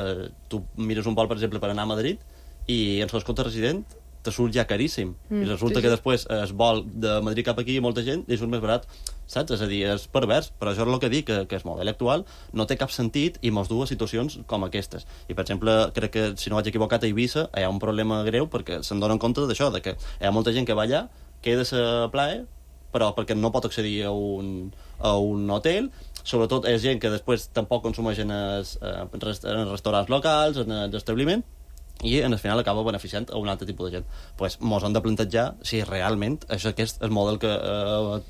tu mires un vol, per exemple, per anar a Madrid, i en el compte resident te surt ja caríssim. I resulta que després es vol de Madrid cap aquí i molta gent i surt més barat, saps? És a dir, és pervers, però això és el que dic, que el model actual no té cap sentit i mos du a situacions com aquestes. I, per exemple, crec que, si no vaig equivocat, a Eivissa hi ha un problema greu perquè se'n donen compte d'això, de que hi ha molta gent que va allà, queda a plaer, però perquè no pot accedir a un hotel. Sobretot és gent que després tampoc consumeix en els restaurants locals, en l'establiment, i al final acaba beneficiant a un altre tipus de gent. Pues mos hem de plantejar si realment és aquest el model que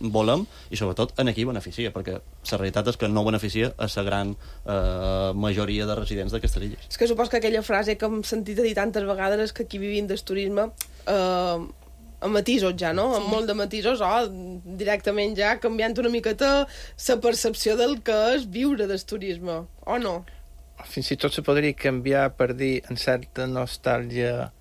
volem i sobretot en qui beneficia, perquè la realitat és que no beneficia a la gran majoria de residents d'aquestes illes. És que supos que aquella frase que hem sentit a dir tantes vegades és que aquí vivim del turisme amb matisos ja, no? Sí. Amb molt de matisos, directament ja canviant una miqueta la percepció del que és viure del turisme, o no? Fins i tot se podria canviar per dir en certa nostàlgia,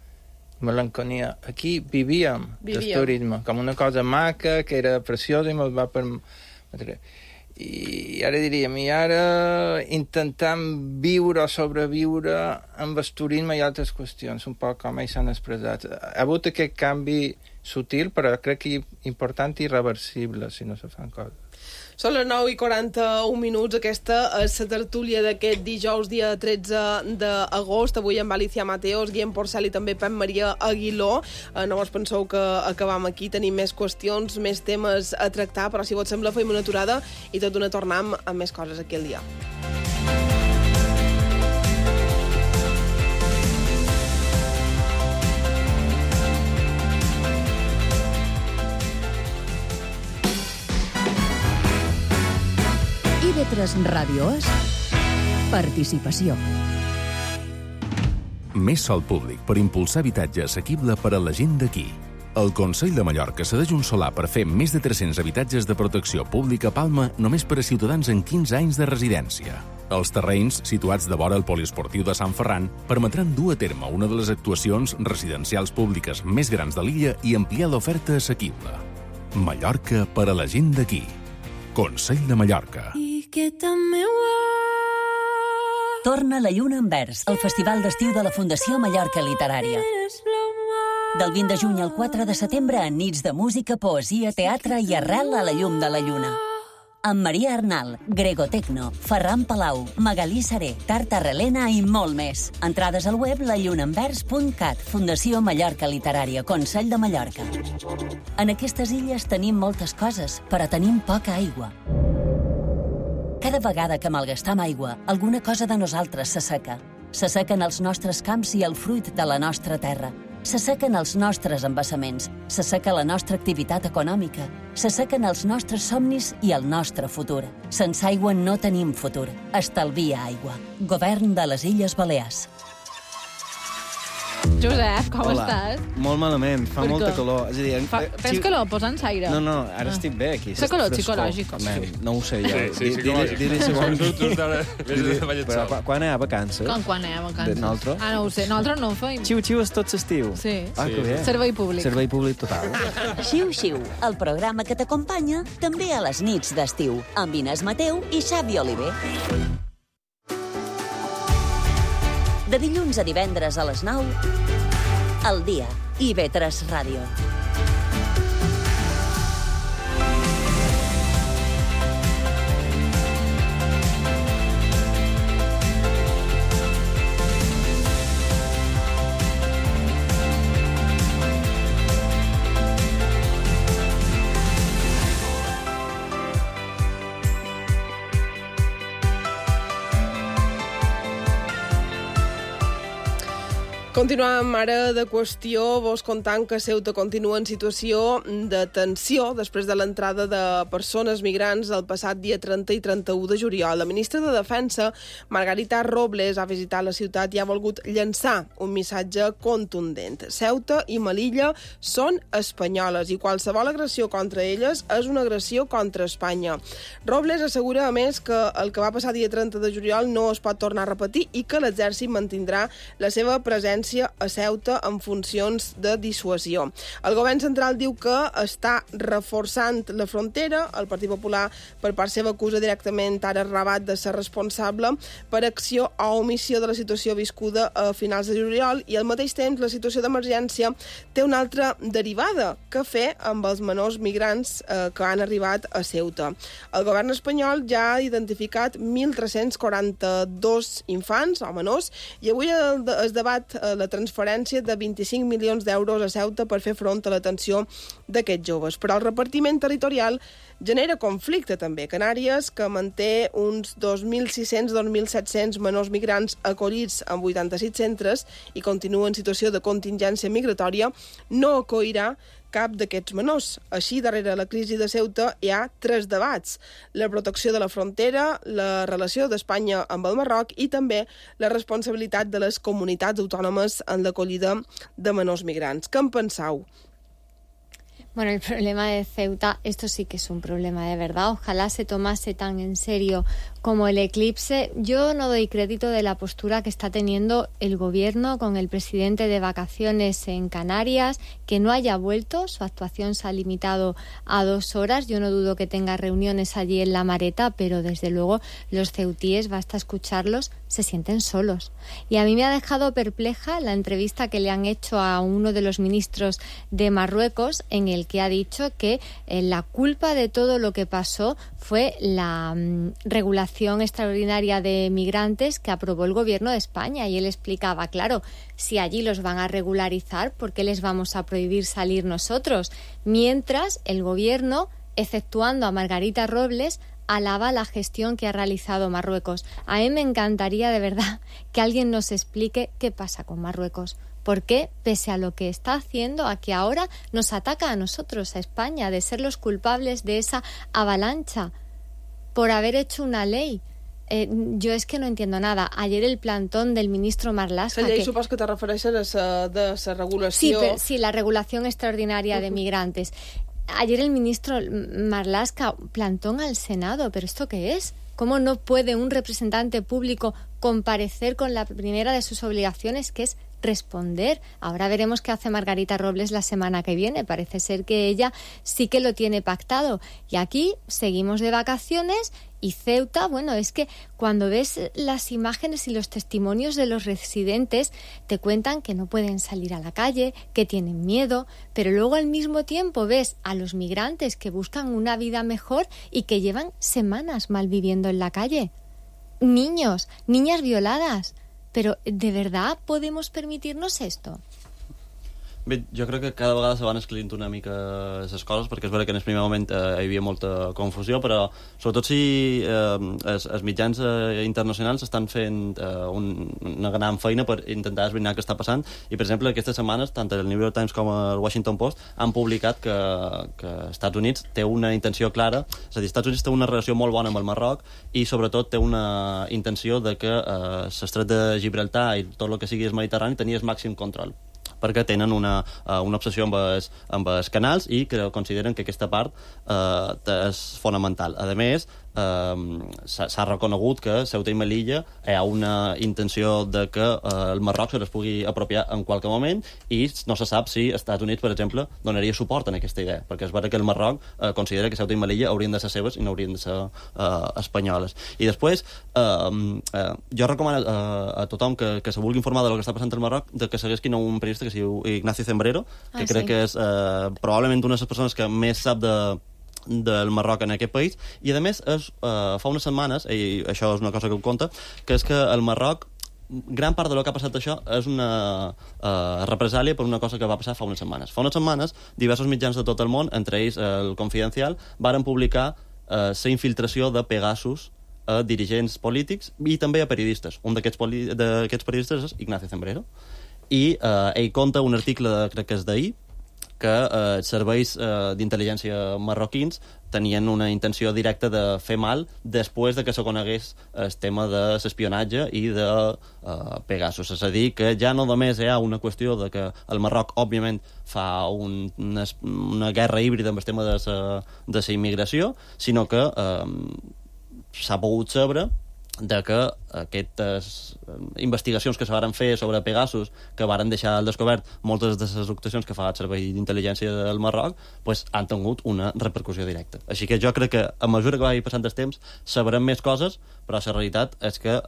melancolia. Aquí vivíem del turisme, com una cosa maca, que era preciosa i ens va permetre. I ara diríem, i ara intentam viure o sobreviure amb el turisme i altres qüestions, un poc com ells s'han expressat. Ha hagut aquest canvi sutil, però crec que important i irreversible, si no se fan coses. Són les 9:41, aquesta és la tertúlia d'aquest dijous, dia 13 d'agost, avui amb Alicia Mateos, Guillem Porcel i també Pep Maria Aguiló. No us penseu que acabam aquí, tenim més qüestions, més temes a tractar, però si vos sembla fem una aturada i tot d'una tornem amb més coses aquí al dia. IB3 Ràdio és participació. Més sòl públic per impulsar habitatge assequible per a la gent d'aquí. El Consell de Mallorca cedeix un solar per fer més de 300 habitatges de protecció pública a Palma només per a ciutadans amb 15 anys de residència. Els terrenys, situats de vora el poliesportiu de Sant Ferran, permetran dur a terme una de les actuacions residencials públiques més grans de l'illa i ampliar l'oferta assequible. Mallorca per a la gent d'aquí. Consell de Mallorca. Torna la Lluna en Vers, el festival d'estiu de la Fundació Mallorca Literària. Del 20 de juny al 4 de setembre, en nits de música, poesia, teatre i arrel a la llum de la lluna. Amb Maria Arnal, Grego Tecno, Ferran Palau, Magalí Saré, Tarta Relena i molt més. Entrades al web lallunaenvers.cat, Fundació Mallorca Literària, Consell de Mallorca. En aquestes illes tenim moltes coses, però tenim poca aigua. Cada vegada que malgastam aigua, alguna cosa de nosaltres s'asseca. S'assequen els nostres camps i el fruit de la nostra terra. S'assequen els nostres embassaments, s'asseca la nostra activitat econòmica, s'assequen els nostres somnis i el nostre futur. Sense aigua no tenim futur. Estalvia aigua. Govern de les Illes Balears. Josep, com estàs? Molt malament, fa molta calor. És a dir, tens calor? Posa'ns aire. No, ara estic bé aquí. Fa calor psicològic. No ho sé, jo. Sí, psicològic. Quan hi ha vacances? Quan hi ha vacances? Nosaltres? No ho sé, nosaltres no ho feim. Xiu-xiu és tot l'estiu. Sí. Que bé. Servei públic. Servei públic total. Xiu-xiu, el programa que t'acompanya també a les nits d'estiu, amb Inés Mateu i Xavi Oliver. De dilluns a divendres a les 9, al dia, IB3 Ràdio. Continuem ara de qüestió, vos contant que Ceuta continua en situació de tensió després de l'entrada de persones migrants el passat dia 30 i 31 de juliol. La ministra de Defensa, Margarita Robles, ha visitat la ciutat i ha volgut llançar un missatge contundent. Ceuta i Melilla són espanyoles i qualsevol agressió contra elles és una agressió contra Espanya. Robles assegura, a més, que el que va passar dia 30 de juliol no es pot tornar a repetir i que l'exèrcit mantindrà la seva presència presència a Ceuta en funcions de dissuasió. El govern central diu que està reforçant la frontera. El Partit Popular, per part seva, acusa directament ara Rabat de ser responsable per acció o omissió de la situació viscuda a finals de juliol, i al mateix temps la situació d'emergència té una altra derivada: què fer amb els menors migrants que han arribat a Ceuta. El govern espanyol ja ha identificat 1.342 infants o menors, i avui es debat la transferència de 25 milions d'euros a Ceuta per fer front a l'atenció d'aquests joves. Però el repartiment territorial genera conflicte també. Canàries, que manté uns 2.600-2.700 menors migrants acollits en 86 centres i continua en situació de contingència migratòria, no acollirà cap d'aquests menors. Així, darrere la crisi de Ceuta hi ha 3 debats: la protecció de la frontera, la relació d'Espanya amb el Marroc i també la responsabilitat de les comunitats autònomes en l'acollida de menors migrants. Què en penseu? Bueno, el problema de Ceuta, esto sí que es un problema de verdad. Ojalá se tomase tan en serio como el eclipse. Yo no doy crédito de la postura que está teniendo el gobierno con el presidente de vacaciones en Canarias, que no haya vuelto. Su actuación se ha limitado a 2 horas. Yo no dudo que tenga reuniones allí en La Mareta, pero desde luego los ceutíes, basta escucharlos, se sienten solos. Y a mí me ha dejado perpleja la entrevista que le han hecho a uno de los ministros de Marruecos, en el que ha dicho que la culpa de todo lo que pasó fue la regulación extraordinaria de migrantes que aprobó el gobierno de España. Y él explicaba, claro, si allí los van a regularizar, ¿por qué les vamos a prohibir salir nosotros? Mientras el gobierno, exceptuando a Margarita Robles, alaba la gestión que ha realizado Marruecos. A mí me encantaría, de verdad, que alguien nos explique qué pasa con Marruecos. ¿Por qué, pese a lo que está haciendo, a que ahora nos ataca a nosotros, a España, de ser los culpables de esa avalancha por haber hecho una ley? Jo és que no entiendo nada. Ayer el plantón del ministro Marlaska... La llei supos que te refereixes a la regulació... Sí, la regulación extraordinaria de migrantes. Ayer el ministro Marlaska, plantón al Senado, ¿pero esto qué es? ¿Cómo no puede un representante público comparecer con la primera de sus obligaciones, que es responder? Ahora veremos qué hace Margarita Robles la semana que viene. Parece ser que ella sí que lo tiene pactado. Y aquí seguimos de vacaciones. Y Ceuta, bueno, es que cuando ves las imágenes y los testimonios de los residentes, te cuentan que no pueden salir a la calle, que tienen miedo, pero luego al mismo tiempo ves a los migrantes que buscan una vida mejor y que llevan semanas malviviendo en la calle. Niños, niñas violadas. Però, de verdad, podemos permitirnos esto? Bé, jo crec que cada vegada se van esclarint una mica les coses, perquè és vera que en el primer moment hi havia molta confusió, però sobretot si els mitjans internacionals estan fent una gran feina per intentar esbrinar què està passant, i per exemple aquestes setmanes tant el New York Times com el Washington Post han publicat que Estats Units té una intenció clara, és a dir, Estats Units té una relació molt bona amb el Marroc i sobretot té una intenció de que l'estret de Gibraltar i tot el que sigui el Mediterrani tenia el màxim control, perquè tenen una obsessió amb els canals i que consideren que aquesta part és fonamental. A més, s'ha reconegut que Ceuta i Melilla hi ha una intenció de que el Marroc se les pugui apropiar en qualsevol moment i no se sap si els Estats Units, per exemple, donaria suport en aquesta idea, perquè és vera que el Marroc considera que Ceuta i Melilla haurien de ser seves i no haurien de ser espanyoles. I després, jo recomano a tothom que se vulgui informar del que està passant al Marroc de que segueixin un periodista que es diu Ignacio Zembrero, que crec que és probablement una de les persones que més sap del Marroc en aquest país, i a més fa unes setmanes, i això és una cosa que ho conta, que és que el Marroc, gran part del que ha passat això és una represàlia per una cosa que va passar fa unes setmanes. Fa unes setmanes, diversos mitjans de tot el món, entre ells el Confidencial, varen publicar la infiltració de Pegasus a dirigents polítics i també a periodistes. Un d'aquests periodistes és Ignacio Zembrero. I ell conta un article, crec que és d'ahir, que els serveis d'intel·ligència marroquins tenien una intenció directa de fer mal després de que se conegués el tema de l'espionatge i de Pegasus. És a dir, que ja no només hi ha una qüestió de que el Marroc, òbviament, fa una guerra híbrida amb el tema de la immigració, sinó que s'ha pogut saber de que aquestes investigacions que se varen fer sobre Pegasus, que varen deixar al descobert moltes de les actuacions que fa el Servei d'Intel·ligència del Marroc, pues, han tingut una repercussió directa. Així que jo crec que a mesura que vagi passant el temps sabrem més coses, però la realitat és que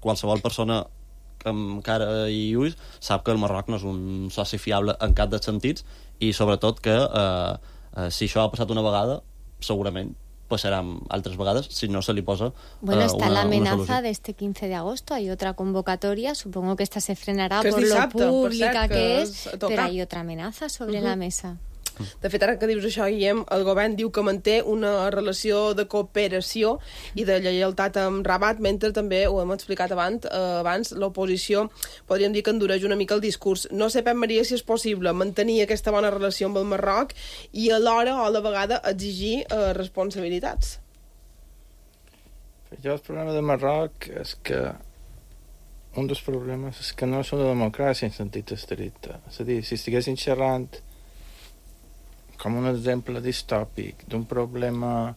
qualsevol persona amb cara i ulls sap que el Marroc no és un soci fiable en cap dels sentits i sobretot que si això ha passat una vegada, segurament pasarán otras vegadas si no se le posa Bueno, está la amenaza de este 15 de agosto, hay otra convocatoria, supongo que esta se frenará por dissabte, lo pública que és, però hay otra amenaza sobre la mesa. De fet, ara que dius això, Guillem, el govern diu que manté una relació de cooperació i de lleialtat amb Rabat, mentre també, ho hem explicat abans, l'oposició, podríem dir que endureix una mica el discurs. No sé, Pep Maria, si és possible mantenir aquesta bona relació amb el Marroc i alhora, o a la vegada, exigir responsabilitats. Jo el problema del Marroc és que un dels problemes és que no és una democràcia en sentit estricte. És a dir, si estiguessin xerrant com un exemple distòpic d'un problema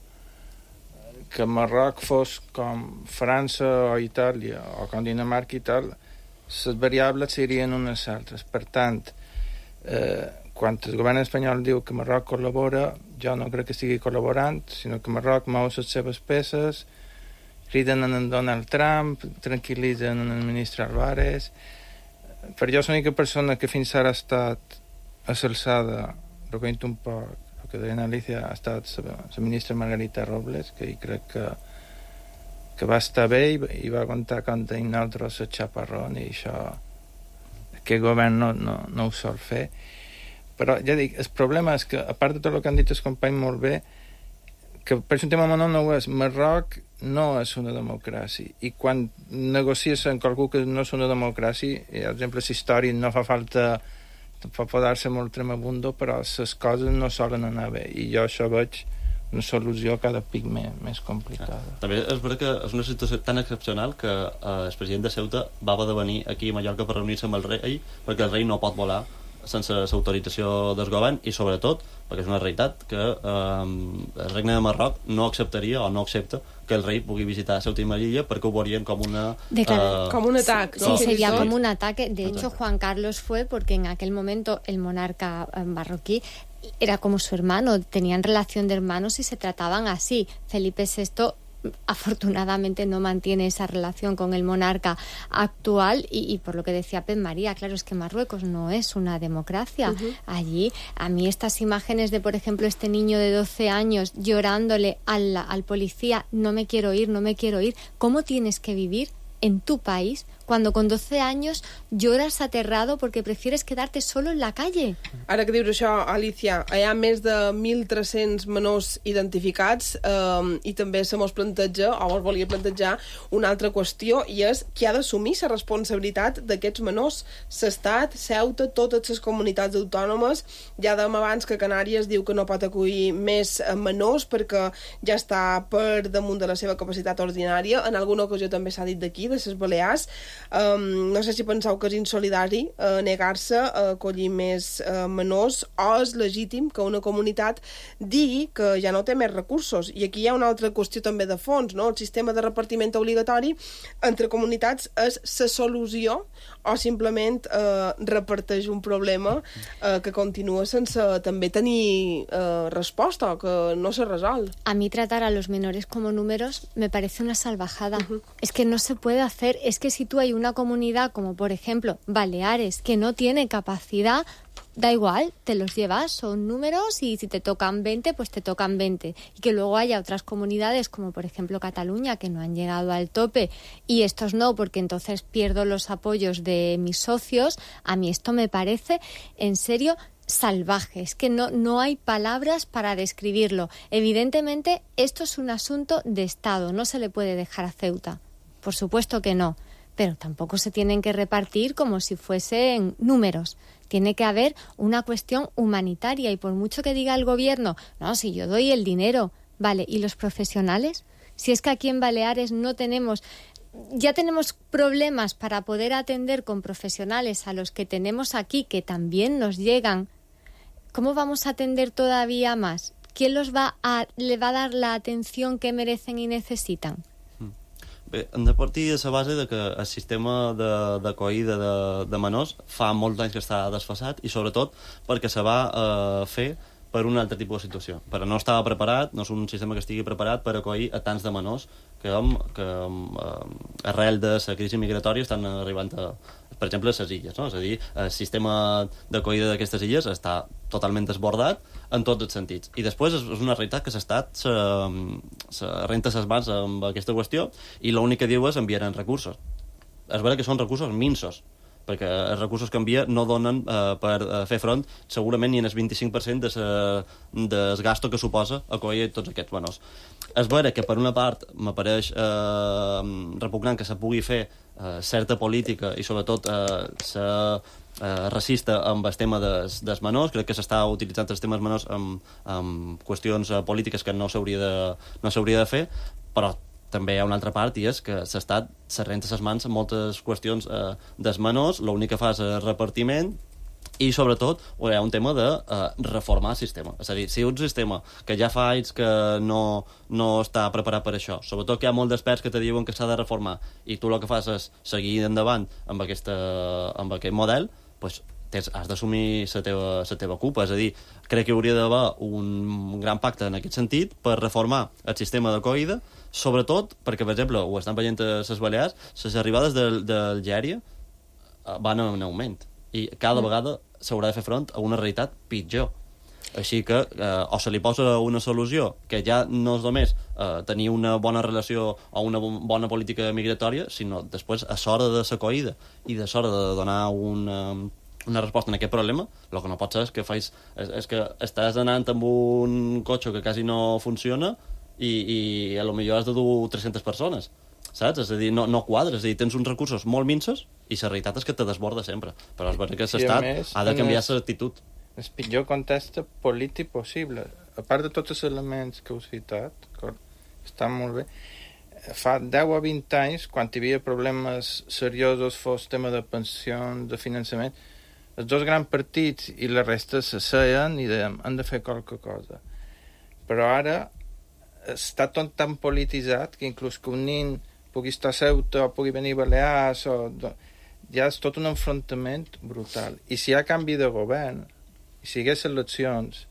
que Marroc fos com França o Itàlia o com Dinamarca i tal, les variables serien unes altres. Per tant, quan el govern espanyol diu que Marroc col·labora, jo no crec que estigui col·laborant, sinó que Marroc mou les seves peces, criden en Donald Trump, tranquil·litzen en el ministre Álvarez. Per jo és l'única persona que fins ara ha estat a l'alçada, recollint un poc el que deia Alicia, ha estat la ministra Margarita Robles, que crec que va estar bé i va aguantar contra nosaltres el xaparrón, i això aquest govern no ho sol fer. Però ja dic, el problema és que, a part de tot el que han dit els companys molt bé, que per un tema menor no ho és, Marroc no és una democràcia, i quan negocies amb qualcú que no és una democràcia, per exemple, la història no fa falta pot posar-se molt tremebundo, però les coses no solen anar bé, i jo això veig una solució cada pic més complicada. També és veritat que és una situació tan excepcional que el president de Ceuta va haver de venir aquí a Mallorca per reunir-se amb el rei, perquè el rei no pot volar sense l'autorització del govern, i sobretot perquè és una realitat que el regne de Marroc no acceptaria o no accepta que el rey pugui visitar Ceuta y Melilla perquè ho veurien com una... como un ataque. Sí, sería como un ataque. De hecho, Juan Carlos fue porque en aquel momento el monarca marroquí era como su hermano, tenían relación de hermanos y se trataban así. Felipe VI afortunadamente no mantiene esa relación con el monarca actual y por lo que decía Pep María, claro, es que Marruecos no es una democracia. Allí, a mí estas imágenes de, por ejemplo, este niño de 12 años llorándole al policía, no me quiero ir, ¿cómo tienes que vivir en tu país cuando con 12 años lloras aterrado porque prefieres quedarte solo en la calle? Ara que dius això, Alicia, hi ha més de 1.300 menors identificats i també se mos planteja, o mos volia plantejar, una altra qüestió, i és qui ha d'assumir la responsabilitat d'aquests menors. L'Estat, Ceuta, totes les comunitats autònomes. Ja dèiem abans que Canàries diu que no pot acollir més menors perquè ja està per damunt de la seva capacitat ordinària. En alguna ocasió també s'ha dit d'aquí, de les Balears. No sé si penseu que és insolidari negar-se a acollir més menors, o és legítim que una comunitat digui que ja no té més recursos. I aquí hi ha una altra qüestió també de fons, no? El sistema de repartiment obligatori entre comunitats és la solució o simplement reparteix un problema que continua sense també tenir resposta o que no se resol. A mí tratar a los menores como números me parece una salvajada. Es que no se puede hacer. Es que si tú hay una comunidad como por ejemplo Baleares que no tiene capacidad, da igual, te los llevas, son números y si te tocan 20, pues te tocan 20. Y que luego haya otras comunidades como por ejemplo Cataluña que no han llegado al tope y estos no, porque entonces pierdo los apoyos de mis socios. A mí esto me parece en serio salvaje, es que no hay palabras para describirlo. Evidentemente esto es un asunto de Estado, no se le puede dejar a Ceuta, por supuesto que no, pero tampoco se tienen que repartir como si fuesen números. Tiene que haber una cuestión humanitaria y por mucho que diga el gobierno, no, si yo doy el dinero, vale, ¿y los profesionales? Si es que aquí en Baleares ya tenemos problemas para poder atender con profesionales a los que tenemos aquí, que también nos llegan, ¿cómo vamos a atender todavía más? ¿Quién le va a dar la atención que merecen y necesitan? Bé, hem de partir de la base de que el sistema d'acollida de menors fa molts anys que està desfasat i sobretot perquè se va fer per un altre tipus de situació. Però no estava preparat, no és un sistema que estigui preparat per acollir a tants de menors que arrel de la crisi migratòria estan arribant per exemple, a les illes, no? És a dir, el sistema d'acollida d'aquestes illes està totalment desbordat en tots els sentits. I després és una realitat que l'Estat se renta les mans amb aquesta qüestió i l'únic que diu és enviaran recursos. És vera que són recursos minsos, perquè els recursos que envia no donen per fer front segurament ni en el 25% del gasto que suposa acollir tots aquests menors. És vera que per una part m'apareix repugnant que se pugui fer certa política i sobretot racista amb el tema dels menors. Crec que s'està utilitzant els temes menors amb qüestions polítiques que no s'hauria de fer, però també hi ha una altra part i és que l'Estat se renta les mans en moltes qüestions dels menors, l'únic que fa és repartiment i sobretot hi ha un tema de reformar el sistema. És a dir, si un sistema que ja fa anys que no està preparat per això, sobretot que hi ha molts d'experts que te diuen que s'ha de reformar i tu el que fas és seguir endavant amb aquest model, doncs has d'assumir la teva culpa. És a dir, crec que hauria d'haver un gran pacte en aquest sentit per reformar el sistema d'acollida, sobretot perquè, per exemple, ho estan veient a les Balears, les arribades d'Algèria van en augment i cada vegada s'haurà de fer front a una realitat pitjor. Així que o se li posa una solució que ja no és només tenir una bona relació o una bona política migratòria, sinó després a l'hora de l'acollida i a l'hora de donar una resposta a aquest problema, el que no pot ser és que estàs anant amb un cotxe que quasi no funciona i a lo millor has de dur 300 persones, saps? És a dir, no quadres, és a dir, tens uns recursos molt minsos i la realitat és que te desborda sempre. Però és veritat que l'Estat ha de canviar l'actitud. El pitjor context polític possible. A part de tots els elements que heu citat, estan molt bé, fa 10 o 20 anys, quan hi havia problemes seriosos, fos tema de pensions, de finançament, els dos grans partits i la resta s'asseien i dèiem, hem de fer qualque cosa. Però ara està tot tan polititzat que inclús que un nin pugui estar a Ceuta o pugui venir a Balears ja és tot un enfrontament brutal. I si hi ha canvi de govern i si hi hagués eleccions,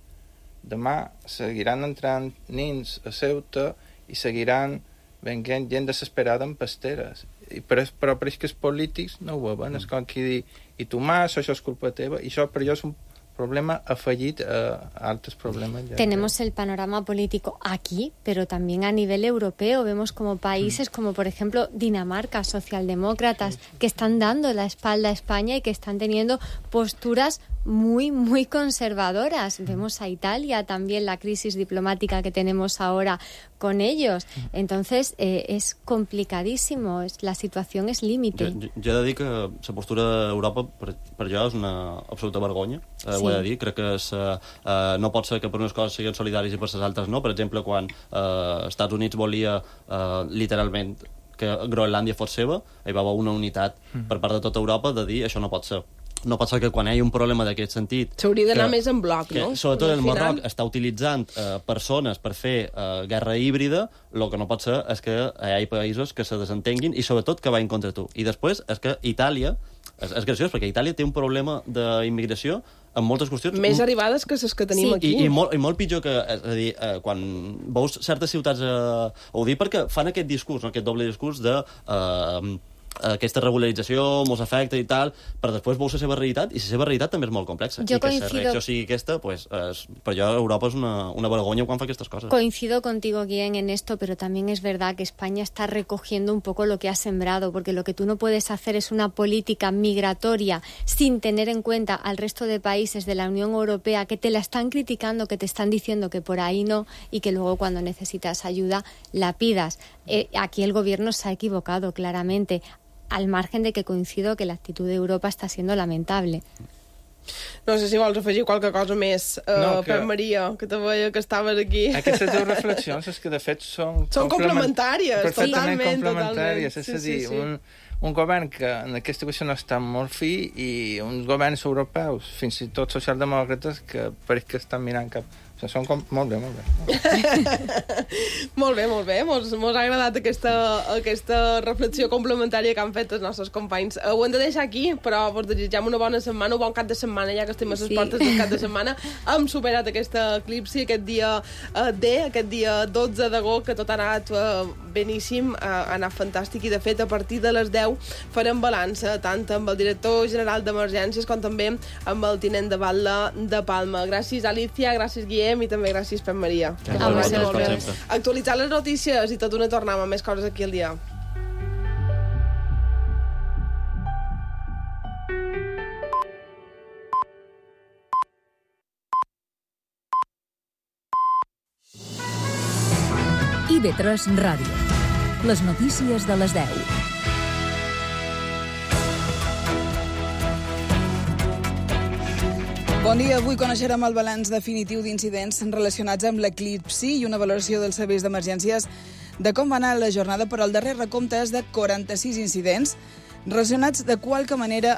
demà seguiran entrant nins a Ceuta i seguiran venint gent desesperada en pasteres. Però pareix que els polítics no ho veuen. És com qui dir, i tu mas, això és culpa teva, i això per jo és un problema afegit a altos problemas. Tenemos el panorama político aquí, pero también a nivel europeo. Vemos como países como, por ejemplo, Dinamarca, socialdemócratas, que están dando la espalda a España y que están teniendo posturas muy, muy conservadoras. Vemos a Italia también, la crisis diplomática que tenemos ahora con ellos. Entonces, es complicadísimo. La situación es límite. Jo he de dir que la postura d'Europa per jo és una absoluta vergonya. Ho he de dir. Crec que no pot ser que per unes coses siguin solidaris i per les altres no. Per exemple, quan Estats Units volia literalment que Groenlàndia fos seva, hi va haver una unitat per part de tota Europa de dir això no pot ser. No pot ser que quan hi ha un problema d'aquest sentit... S'hauria d'anar més en bloc, no? Sobretot el Marroc està utilitzant persones per fer guerra híbrida, el que no pot ser és que hi hagi països que se desentenguin i sobretot que vagin contra tu. I després és que Itàlia... És graciós, perquè Itàlia té un problema d'immigració amb moltes qüestions... Més arribades que les que tenim aquí. I molt pitjor que... És a dir, quan veus certes ciutats... Ho dic perquè fan aquest discurs, no? Aquest doble discurs de... aquesta regularització mos afecta i tal, però després veus la seva realitat i la seva realitat també és molt complexa. I que la reacció sigui aquesta, pues, per jo Europa és una vergonya quan fa aquestes coses. Coincido contigo, Guillén, en esto, pero también es verdad que España está recogiendo un poco lo que ha sembrado, porque lo que tú no puedes hacer es una política migratoria sin tener en cuenta al resto de países de la Unión Europea que te la están criticando, que te están diciendo que por ahí no, y que luego cuando necesitas ayuda la pidas. Aquí el gobierno se ha equivocado claramente, al margen de que coincido que l'actitud d'Europa està siendo lamentable. No sé si vols afegir qualque cosa més, per Maria, que te veia que estaves aquí. Aquestes dues reflexions és que de fet són complementàries, perfectament complementàries. És a dir, un govern que en aquesta qüestió no està molt fi i uns governs europeus, fins i tot socialdemòcrates, que pareix que estan mirant cap Són molt bé, molt bé. Molt bé, molt bé. Mos ha agradat aquesta reflexió complementària que han fet els nostres companys. Ho hem de deixar aquí, però vos desitgem una bona setmana, un bon cap de setmana, ja que estem a les portes del cap de setmana. Hem superat aquesta eclipsi, aquest dia D, aquest dia 12 d'agost, que tot ha anat beníssim, ha anat fantàstic, i de fet a partir de les 10 farem balança, tant amb el director general d'Emergències com també amb el tinent de batlle de Palma. Gràcies, Alicia, gràcies, Guillem, i també gràcies, Pep Maria. Actualitzar les notícies i tot una tornada amb més coses aquí al dia. IB3 Ràdio. Les notícies de les 10. Bon dia. Avui coneixerem el balanç definitiu d'incidents relacionats amb l'eclipsi i una valoració dels serveis d'emergències de com va anar la jornada, però el darrer recompte és de 46 incidents relacionats de qualque manera